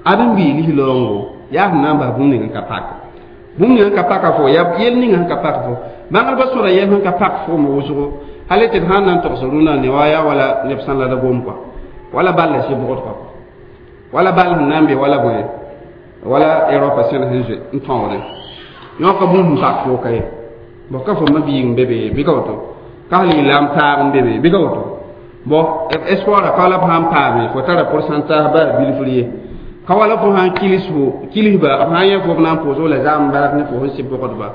ad n bii lislaoongo yaa sẽn na n bas bũmb ning n ka pak bũmb ning n ka paka fo yaa yel ning sẽn ka pak fo bãngdbã sõra yɛl sẽn ka pak foom wʋsgo hal tɩ d sãn na n togs rũnã ne wa yaa wala neb sãn la da gom kɔa wala ball la sɩbgd kɔa wala ball sẽn na n be wala bõe wala Europa sẽn sẽn zoe n tõogdẽ yõka bũmb sẽn pak fo ka ye bo ka fo ma-biig n be be bɩ ka woto ka sal lislaam taag n be be bɩ ka woto bo espoir ka la b sãn paame fo tara pourcentage ba bilfr ye ka wala fo sãn kilis fo kilisba b sãn yẽ fo b na n pʋʋsg la zaam bark ne fo sẽn sɩ bʋgdba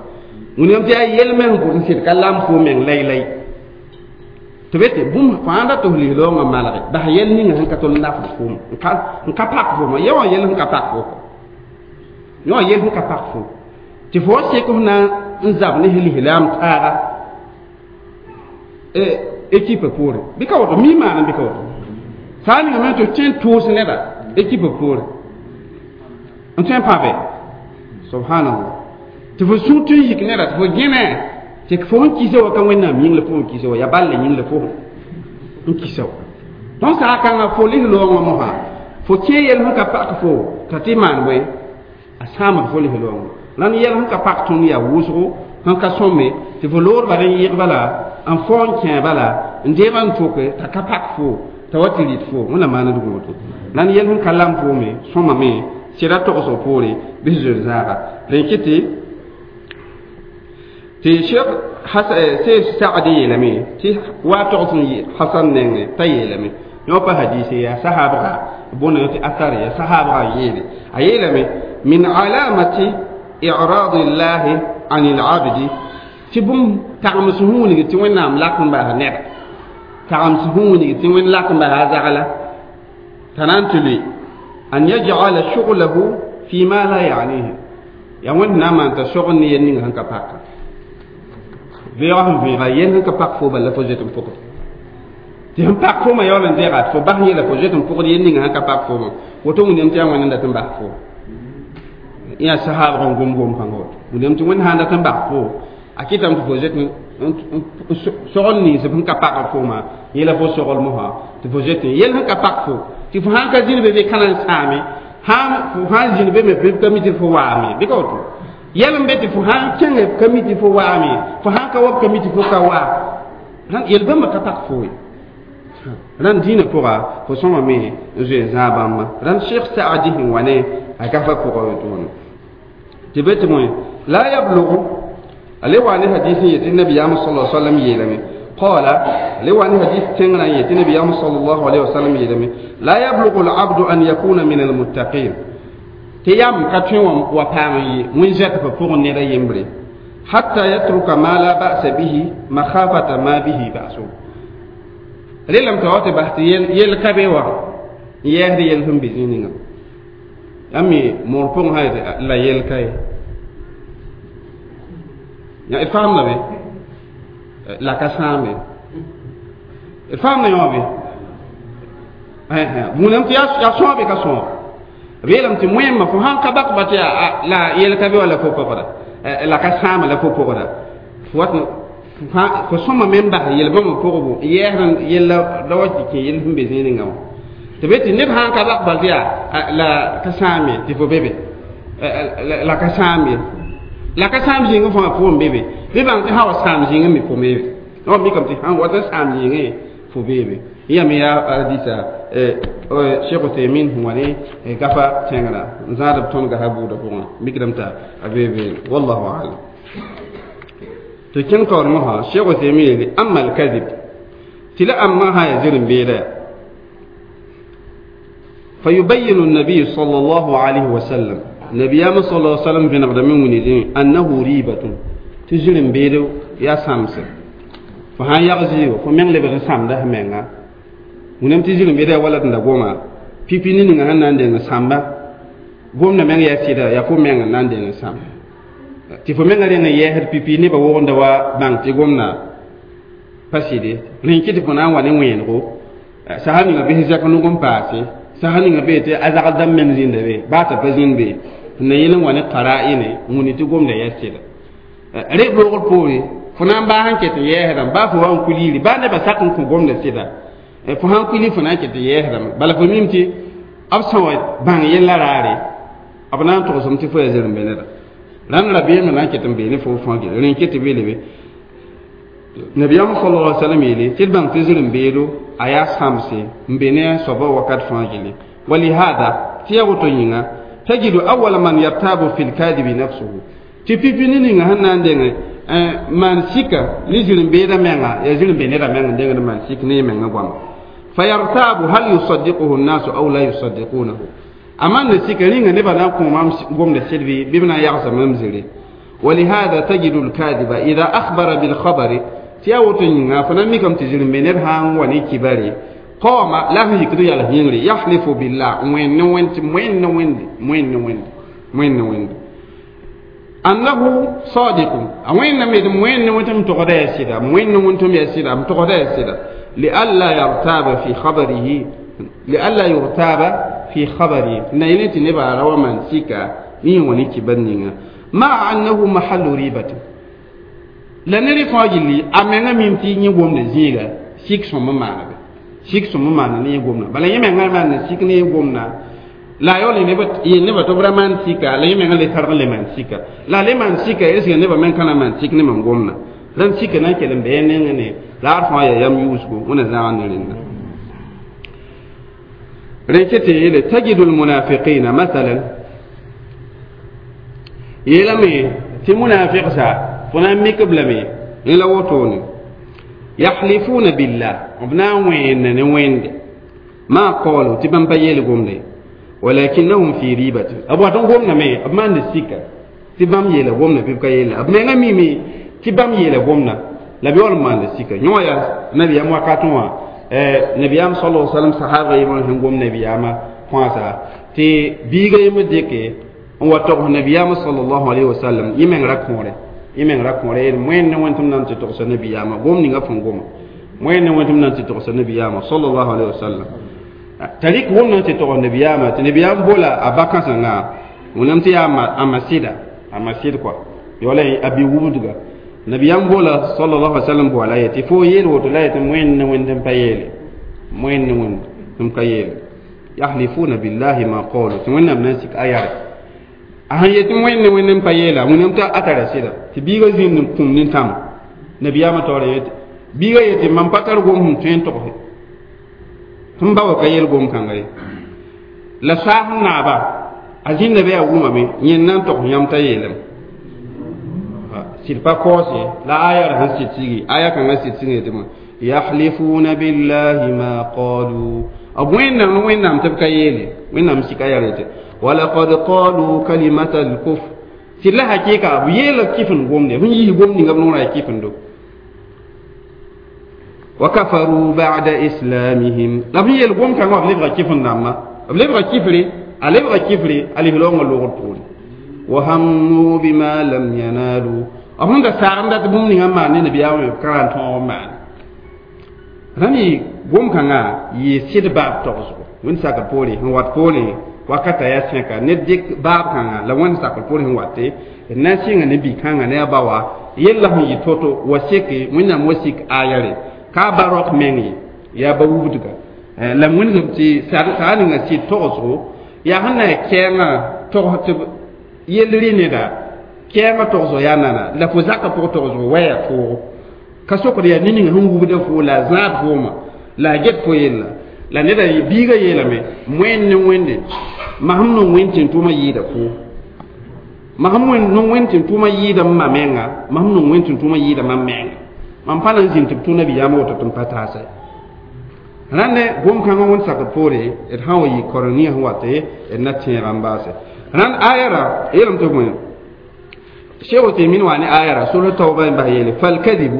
wẽnnaam tɩ yaa yel-meng bʋd n sɩd ka lam fo meng lay-lay tɩ be tɩ bũmb fãa da tɩ f lislaoongã malge bas yɛl ninga sẽn ka tol n nafd foom n ka pak fooma yã wã yɛl sẽn ka pak fo yã wã yɛl sẽn ka pak fo tɩ fo wa sek f na n zab ne lislaam taaga équipe poore bɩ ka woto mi maana bɩ ka woto saa ninga me tɩ tõe n tʋʋs neda équipe poore n tõe n pãbe subhanallah tɩ fo sũ tõe n yik neda tɩ fo gẽne tɩ fo sẽn kisa wa ka wẽnnaam yĩng la fo n kisa wa yaa ball la yĩng la fo n kisa wa tõnd saa kãngã fo lislaoongã mosã fo kẽ yɛl sẽn ka pak fo t'a tɩ maan bõe a sãamd fo lislaoongã rãnd yɛl sẽn ka pak tõnd yaa wʋsgo sẽn ka sõme tɩ fo loor bala n yɩg bala n fao n kẽ bala n deeba n toke t'a ka pak fo t'a wa tɩ rɩt fo wẽnnaam maand woto rãnd yɛl sẽn ka lam foome sõmame sɩda togsg poore bɩ zoe zaaga rẽ kɩ tɩ tɩ Cheikh Seyf Saadi yeelame tɩ wa togs n Hasan nengẽ t'a yeelame yõ pa hadise yaa sahabga bõna tɩ asar yaa sahabga n yeele a yeelame min alamati i'rad llahi an al-abdi tɩ bũmb tagms sẽn wilg tɩ wẽnnaam lak n bas ned tagms sẽn wilg tɩ wẽnd lak n bas a zagla t'a na n tɩ lʋɩ an yaj'ala shughlahu fi ma la ya'nihi yaa wẽnd na n maan t'a sogd ne yel ninga sẽn ka paka veoog sẽn vẽega yel sẽn ka pak fo bala la fo zoet n pʋgd tɩ sẽn pak foomã yaool n deega tɩ fo bas yẽla fo zoet n pʋgd yel ninga sẽn ka pak foomã woto wẽnnaam tɩ yaa wẽnd n dat n bas fo yaa sahaabg n gom gom kãngã woto wẽnnaam tɩ wẽnd sã n dat n bas fo a kɩtame tɩ fo zoet sogl nins sẽn ka pak foomã yẽla fo sogl mosã tɩ fo zoet yel sẽn ka pak fo tɩ fo sãn ka zĩnd be be ka na n sãame fo sãn zĩnd be me bɩ ka mi tɩ fo waame bɩ ka woto yɛl n be tɩ fo sãn kẽnge ka mi tɩ fo waame fo sãn ka wa ka mi tɩ fo ka waa yel bãmba ka pak fo ye rãnd dĩinã pʋga fo sõmame n zoe n zãag bãmba rãnd Cheikh Saadi sẽn wa ne a gafa pʋga wotone tɩ be tɩ bõe la yablugu ale wa ne hadis n yetɩ nabiyaam sala sallam yeelame qala ale wa ne hadis tẽngrã n yetɩ nabiyaam sallallahu alayhi wa sallam yeelame la yablugu al-abdu an yakuna min al-muttaqin tɩ yam ka tõe wa paam n yɩ wẽn-zɛtbã pʋgẽ ned a yembre hatta yatruka ma la ba'sa bihi makhafata ma bihi ba'su relame t'a wa tɩ bas tɩ yel ka be wa n yɛɛsd yel sẽn be zĩig ninga yãmb moor pʋgẽ sã la yel ka ye ya d faamda be la ka sãambe d faamda yõ be wũnam tɩ yaa sõobe ka sõob b yeelame tɩ wẽmma fo sãn ka bak ba tɩ la yel ka be wa la fo pʋgda la ka sãama la fo pʋgda fo wat fo sõma me n bas yel-bãmbã pʋgbo n yɛɛsd yella la wa tɩ kẽ yel sẽn be zĩig ninga wã tɩ be tɩ ned sãn ka bak bal tɩ yaa la ka sãam ye tɩ fo be be la ka sãam ye La ka sãam zĩigẽ fãa pʋgẽ be be bɩ bãng tɩ sã wa sãam zĩigẽ me fo meebe b mikame tɩ sãn wata sãam zĩigẽ fo beebe yã me yaa hadisa Cheikh Uthaymin sẽn wa ne gafa tẽngrã n zãad b tõnd gasa buudã pʋgẽ mikdame t'a a beebe wallahu alam tɩ kẽng taoor mosã Cheikh Uthaymin yeele amma alkadib tɩ la ãmbã sã yaa zir-n-beeda فيبين النبي صلى الله عليه وسلم نبيام صلى الله عليه وسلم في نقد من ونزين أنه ريبة تجرم بيدو يا سامس فهان يغزيو فمن لبغ سام ده منغا ونم تجرم بيدو ولد ندغوما pipi ni ninga nan denga samba gomna men ya sida ya fo men nan denga sam ti fo men renga ye her pipi ne ba wonda wa bang ti gomna paside rin kiti fo nan wa ne wen go sahani ga bi zaka no gom paase sahani ga be te azaka dam men zinde be ba ta pa zin be na yelen wa ne qara'ine nguni ti gomna ya sida re bo pore fo nan ba han ket ye heram ba fo wan kulili ba ne ba sakun ku gomna sida fo han kuli fo nan ket ye heram bala fo mimti ab sã wa bãng yella raare b na n togsem tɩ fo ya zir n be neda rãnd rabeem na n ket n beene fo fãa gele rẽn ket tɩ beele be nabiyaam sallallahu alaihi wasallam yeele tɩ d bãng tɩ zir n beedo a yaa sãmse n be ne a soaba wakat fãa gele walihada tɩ yaa woto yĩnga tajidu awala man yartabu fi lkadibi nafsuhu tɩ pipi ne ninga sẽn na n denge maan sika ne zir n beeda menga yaa zir n be neda meng n dengd maan sik ne y menga goama فيرتاب هل يصدقه الناس أو لا يصدقونه أما نسيك رينغ نبا نقوم قوم نسيربي بمنا يعصم ممزري ولهذا تجد الكاذب إذا أخبر بالخبر تياوتن فنميكم تجري من هان وني كباري قام لا يكدو يالا ينري يحلف بالله وين وين وين وين وين وين وين وين أنه صادق وين ميد وين وين تغدا يسيدا وين وين يسيدا تغدا يسيدا لئلا يرتاب في خبره لئلا يرتاب في خبره نينتي نبا روا من سيكا ني وني كبنينا مع أنه محل ريبة la ned fãa gilli a menga mim tɩ yẽ gomda zĩiga sik sõm n maana be sik sõm n maana ne yẽ gomda bala yẽ menga maan sik ne yẽ gomda la yaool yel nebã tɩ b ra maan sika la yẽ menga le targ le maan sika la le maan sika est ce nebã meng ka na maan sik ne mam gomda rãnd sika na n kell n bɩ nengẽ ne la d fãa yaa yam yuusgo wẽna zãag ne rẽnda rẽn ket tɩ yeele tajidu lmunafiqina mathalan yeelame tɩ munafiqsa fo na n mik b lame rẽ la wotone yahlifuna billah b na n wẽenna ne wẽnde ma qalu tɩ bãmb pa yeel gomde walakinnahum fi ribatin b wat n gomdame b maanda sika tɩ bãmb yeela gomda bɩ b ka yeela b menga mime tɩ bãmb yeela gomda la bɩ wall n maanda sika yõ yaa nabiyaam wakatẽ wã nabiyaam sala wasalam sahaba yẽmr sẽn gom nabiyaamã kõasa tɩ biiga yembr dɩke n wa togs nabiyaamã salallahu alayhi wasallam yẽ meng ra kõore yẽ meng ra kõore yeel moẽn ne wẽn tɩ m na n tɩ togsa nabiyaamã gom ninga fõn goma moẽn ne wẽn tɩ m na n tɩ togsa nabiyaamã salallahu alayhi wasallam t'a rɩk wʋm na n tɩ togs nabiyaamã tɩ nabiyaam bola a ba-kãsengã wẽnnaam tɩ yaa a masɩda a masɩd kɔa wala a bi-wubdga nabiyam bola sallallahu alaihi wasallam bola yeti fo yel woto la yeti moẽn ne wẽnd n pa yeele moẽn ne wẽnd n ka yeele yahlifuna billahi ma qalu tɩ wẽnnaam na n sik a yare a sẽn yetɩ wẽnd ne wẽnd n pa yeela wẽnnaam t'a a tara sɩda tɩ biigã zĩnd n kũm nintãm nabiyaamã taoora yetɩ biigã yetɩ mam pa tar gom sẽn tõe n togse tɩ m ba wa ka yel gom kãnga ye la saas n naaba a zĩnda be a wʋmame yẽnd na n togs yãmb t'a yeelame sɩd pa kaoose la aya ra sẽn sɩd sigi aya kãngã sɩd sigi yetɩ yahlifuna billahi ma qalu b wẽnnaam ne wẽnnaam tɩ b ka yeele wẽnnaam sika yaa yetɩ walaqad qalu kalimata alkufr sɩd la hakɩɩka b yeela kɩf n gomde sẽn yiis gom ninga b noorã yaa kɩfendo wa kafaru ba'da islamihim la b sẽn yeel gom kãngã b lebga kɩf n dãmbã b lebga kifre a lebga kifre a lis-raoongã loogd poore wa hammu bima lam yanalu b sẽn da saag n dat bũmb ninga n maan ne nabiyaamã b ka ra n tõog n maane rãmb gom kãngã yɩ sɩd baab togsgo wẽnd sakr poore sẽn wat poore wakata yaa sẽka ned dɩk baab kãngã la wẽnd sakr poore sẽn wate d na n sɩnga ne bi-kãngã ne a ba wa yella sẽn yɩ to-to wa seke wẽnnaam wa sik aya re ka ba raok meng ye yaa ba wubdga la wẽngame tɩ saag ninga sɩd togsgo yaa sẽn na n kɛɛngã togs tɩ yell rɩ neda Kɛɛngã togsg yaa nana la fo zakã pʋg togsg waya toogo ka sokd yaa ne ning sẽn wubda fo la a zãad fooma la a get fo yella la neda biiga yeelame moẽn ne wẽnde masem nong wẽnd tɩ n tʋʋmã yɩɩda fo masem nong wẽnd tɩ n tʋʋmã yɩɩda m ma menga masem nong wẽnd tɩ n tʋʋmã yɩɩda mam menga mam pa na n zĩnd tɩ b tʋ nabiyaamã woto tɩ m pa taasa rãnd gom-kãngã wẽnd sakd poore d sã n wa yɩ koreng ninga sẽn wat d na tẽega n baase rãnd ayara yeelame tɩ bõe Cheikh Uthaymin wa ne ayara sura tawba n bas yeele falkadibu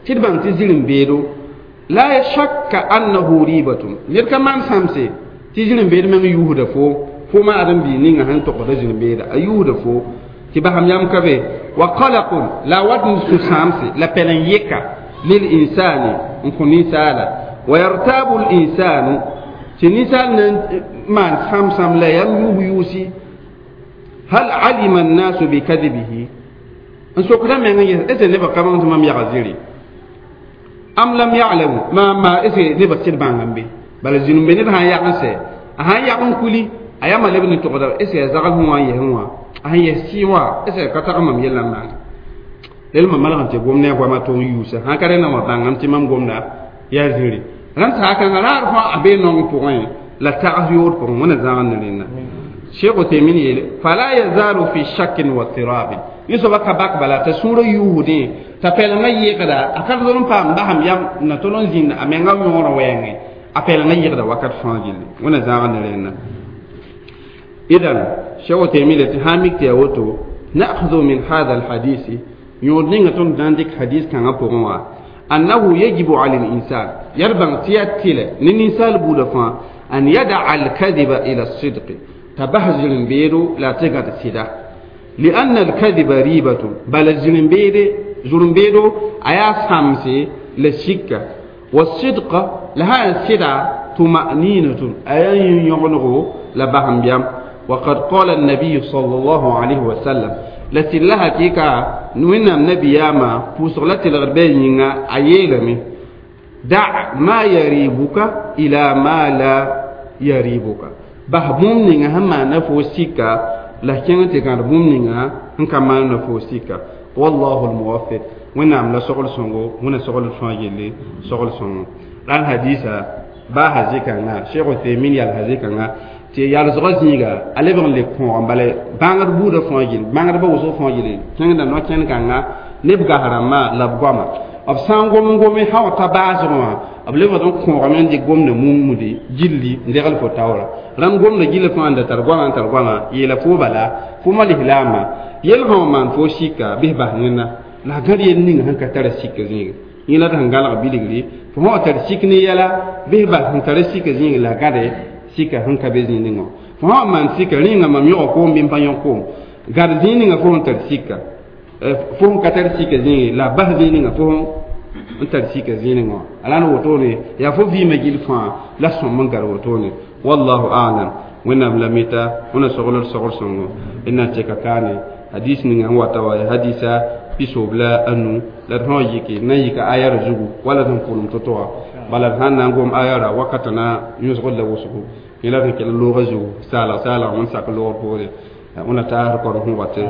tɩ d bãng tɩ zĩrim-beedo la shakka annahu ribatun ned ka maan sãmse tɩ zĩrim-beed meng yuusda fo fo ma ãdem-biig ninga sẽn togsda zĩrim-beeda a yuusda fo tɩ basam yam ka be wa qalaqun la wat n sũ-sãamse la pɛl n yeka lil insani n kõ ninsaala wa yartabu l insanu tɩ ninsaal na n maan sãm-sãm la yam yuus yuusi hal alima annasu bikadibihi n sokda meng n ges est ce nebã ka bãng tɩ mam yaga zĩri am lam ya'lamu ma ma est ce nebã sɩd bãng n be bala zĩnimbe ned sã n yag n sɛ a sãn yag n kuli a yama leb ne togda est ce a zagl sẽn wã n yɛsẽ wã a sẽn yɛs sɩɩ wã est ce ka tag mam yellã n maana lel mam malg n tɩ gom ne a goamã tʋg n yuusa sãn ka rẽnna wã bãngame tɩ mam gomda yaa zĩri rãnd saakãngã raar fãa a bee nong pʋgẽ la tags yood pʋgẽ wẽna zãag ne rẽnna Cheikh Uthaymin yeele fala yazalu fi shakkin wa tirabin yẽ soaba ka bak bala t'a sũurã yuusdẽ t'a pɛlengã yɩgda a ka tol n paam basam yam na tol n zĩnd a menga yõor wɛɛngẽ a pɛlengã yɩgda wakat fãa gilli wẽna zãag ne rẽnna idan Cheikh Uthaymin le tɩ sã n mik tɩ yaa woto nakhdu min hada alhadisi yõod ninga tõnd na n dɩk hadis kãngã pʋgẽ wã annahu yajibu ala linsan yaa d bãng tɩ yaa tɩlɛ ne ninsaal buudã fãa an yadaa alkadiba ila sidqi t'a bas zĩrim-beedo la a tɩ gãd sɩda lianna alkadiba ribatun bala zĩrim-beede zũrem-beedo a yaa sãmse la sika wasidqa la sã yaa sɩda tumaninatun a yaa yĩn-yõgenego la basem-biam وقد قال النبي صلى الله عليه وسلم la sɩd la hakɩɩka wẽnnaam nabiyaamã pʋʋsg la tɩlgd bɩ a yĩnga a yeelame da ma yaribuka ila ma la yaribuka bas bũmb ninga sẽn maana fo sika la kẽng tɩ gãd bũmb ninga sẽn ka maana fo sika wallahu lmuwafiq wẽnnaam la sogl sõngo wẽna sogl fãa yelle sogl sõngo rãnd hadisa baa hazɩ-kãngã Cheikh Uthaymin yal hazɩ-kãngã tɩ yalsgã zĩiga a lebg n le kõog n bala bãngd buudã fãa gill bãngdbã wʋsg fãa gilli kẽngda no-kẽn-kãnga neb gas rãmbã la b goama b sã n gom n gome sã wa ta baasgẽ wã b lebgd n kõogame n dɩk gomda mumde gilli n degl fo taoora rãmb gomda gilli fãa n da tar goamã n tar goamã yeela fo bala fo malislaamã yel sã wa maan fo sika bɩs bas nena la a gãd yel ninga sẽn ka tara sika zĩiga yẽ la d sẽn gãlg bilgri fo sã wa tar sik ne yɛla bɩs bas sẽn tara sika zĩig la a gãde sika sẽn ka be zĩig ninga fo sã wa maan sika rĩnga mam yõga koom bɩ m pa yõg koom gãd zĩig ninga fo sẽn tar sika fo sẽn ka tar sika zĩigi la a bas zĩig ninga fo n tar sika zĩig ninga wã a la n wotone yaa fo vɩɩmã gill fãa la sõm n gad wotone wallahu alam wẽnnaam la mita wẽna sogl d sogr sõngo d na n tɩka kaane hadis ninga sẽn wata wa yaa hadisa pisoob la anu la d sã wa yike na n yika ayara zugu wala d sẽn pʋlem to-to wã bala d sã n na n gom ayara wakatã na yõsgd la wʋsgo yẽ la d sẽn kell loogã zugu saalg saalg wẽnd sak loogr poore wẽna taasd korem sẽn wate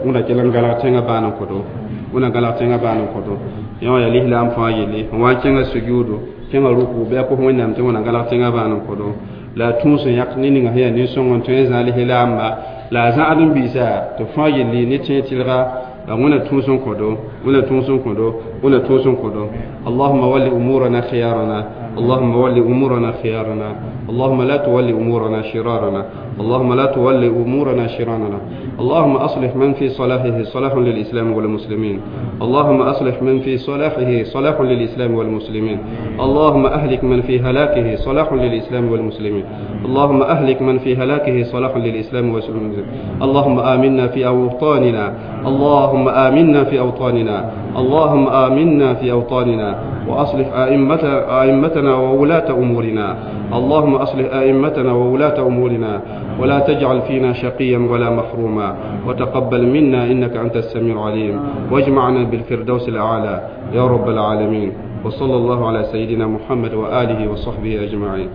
wẽna kell n galg tẽngã baan n kõto wẽna galg tẽngã baan n kõto yẽ wã yaa lislaam fãa yelle sẽn wa n kẽngã sujuudo kẽngã ruku bɩ a pʋs wẽnnaam tɩ wẽna galg tẽngã baan n kõto la a tũus n yãk ne ninga sẽn yaa nin-sõng n tõe n zã lislaamba la a zãad n biisa tɩ fãa yelle ne tẽeg tɩlga la wẽna tũus n kõdo wẽna tũus n kõdo wẽna tũus n kõdo allahuma walli umurana khiyarana اللهم ول أمورنا خيارنا اللهم لا تولي أمورنا شرارنا اللهم لا تولي أمورنا شرارنا اللهم أصلح من في صلاحه صلاح للإسلام والمسلمين اللهم أصلح من في صلاحه صلاح للإسلام والمسلمين اللهم أهلك من في هلاكه صلاح للإسلام والمسلمين اللهم أهلك من في هلاكه صلاح للإسلام والمسلمين اللهم آمنا في أوطاننا اللهم آمنا في أوطاننا اللهم آمنا في أوطاننا وأصلح أئمة أئمتنا وولاة أمورنا اللهم أصلح أئمتنا وولاة أمورنا ولا تجعل فينا شقيا ولا محروما وتقبل منا إنك أنت السميع العليم واجمعنا بالفردوس الأعلى يا رب العالمين وصلى الله على سيدنا محمد وآله وصحبه أجمعين.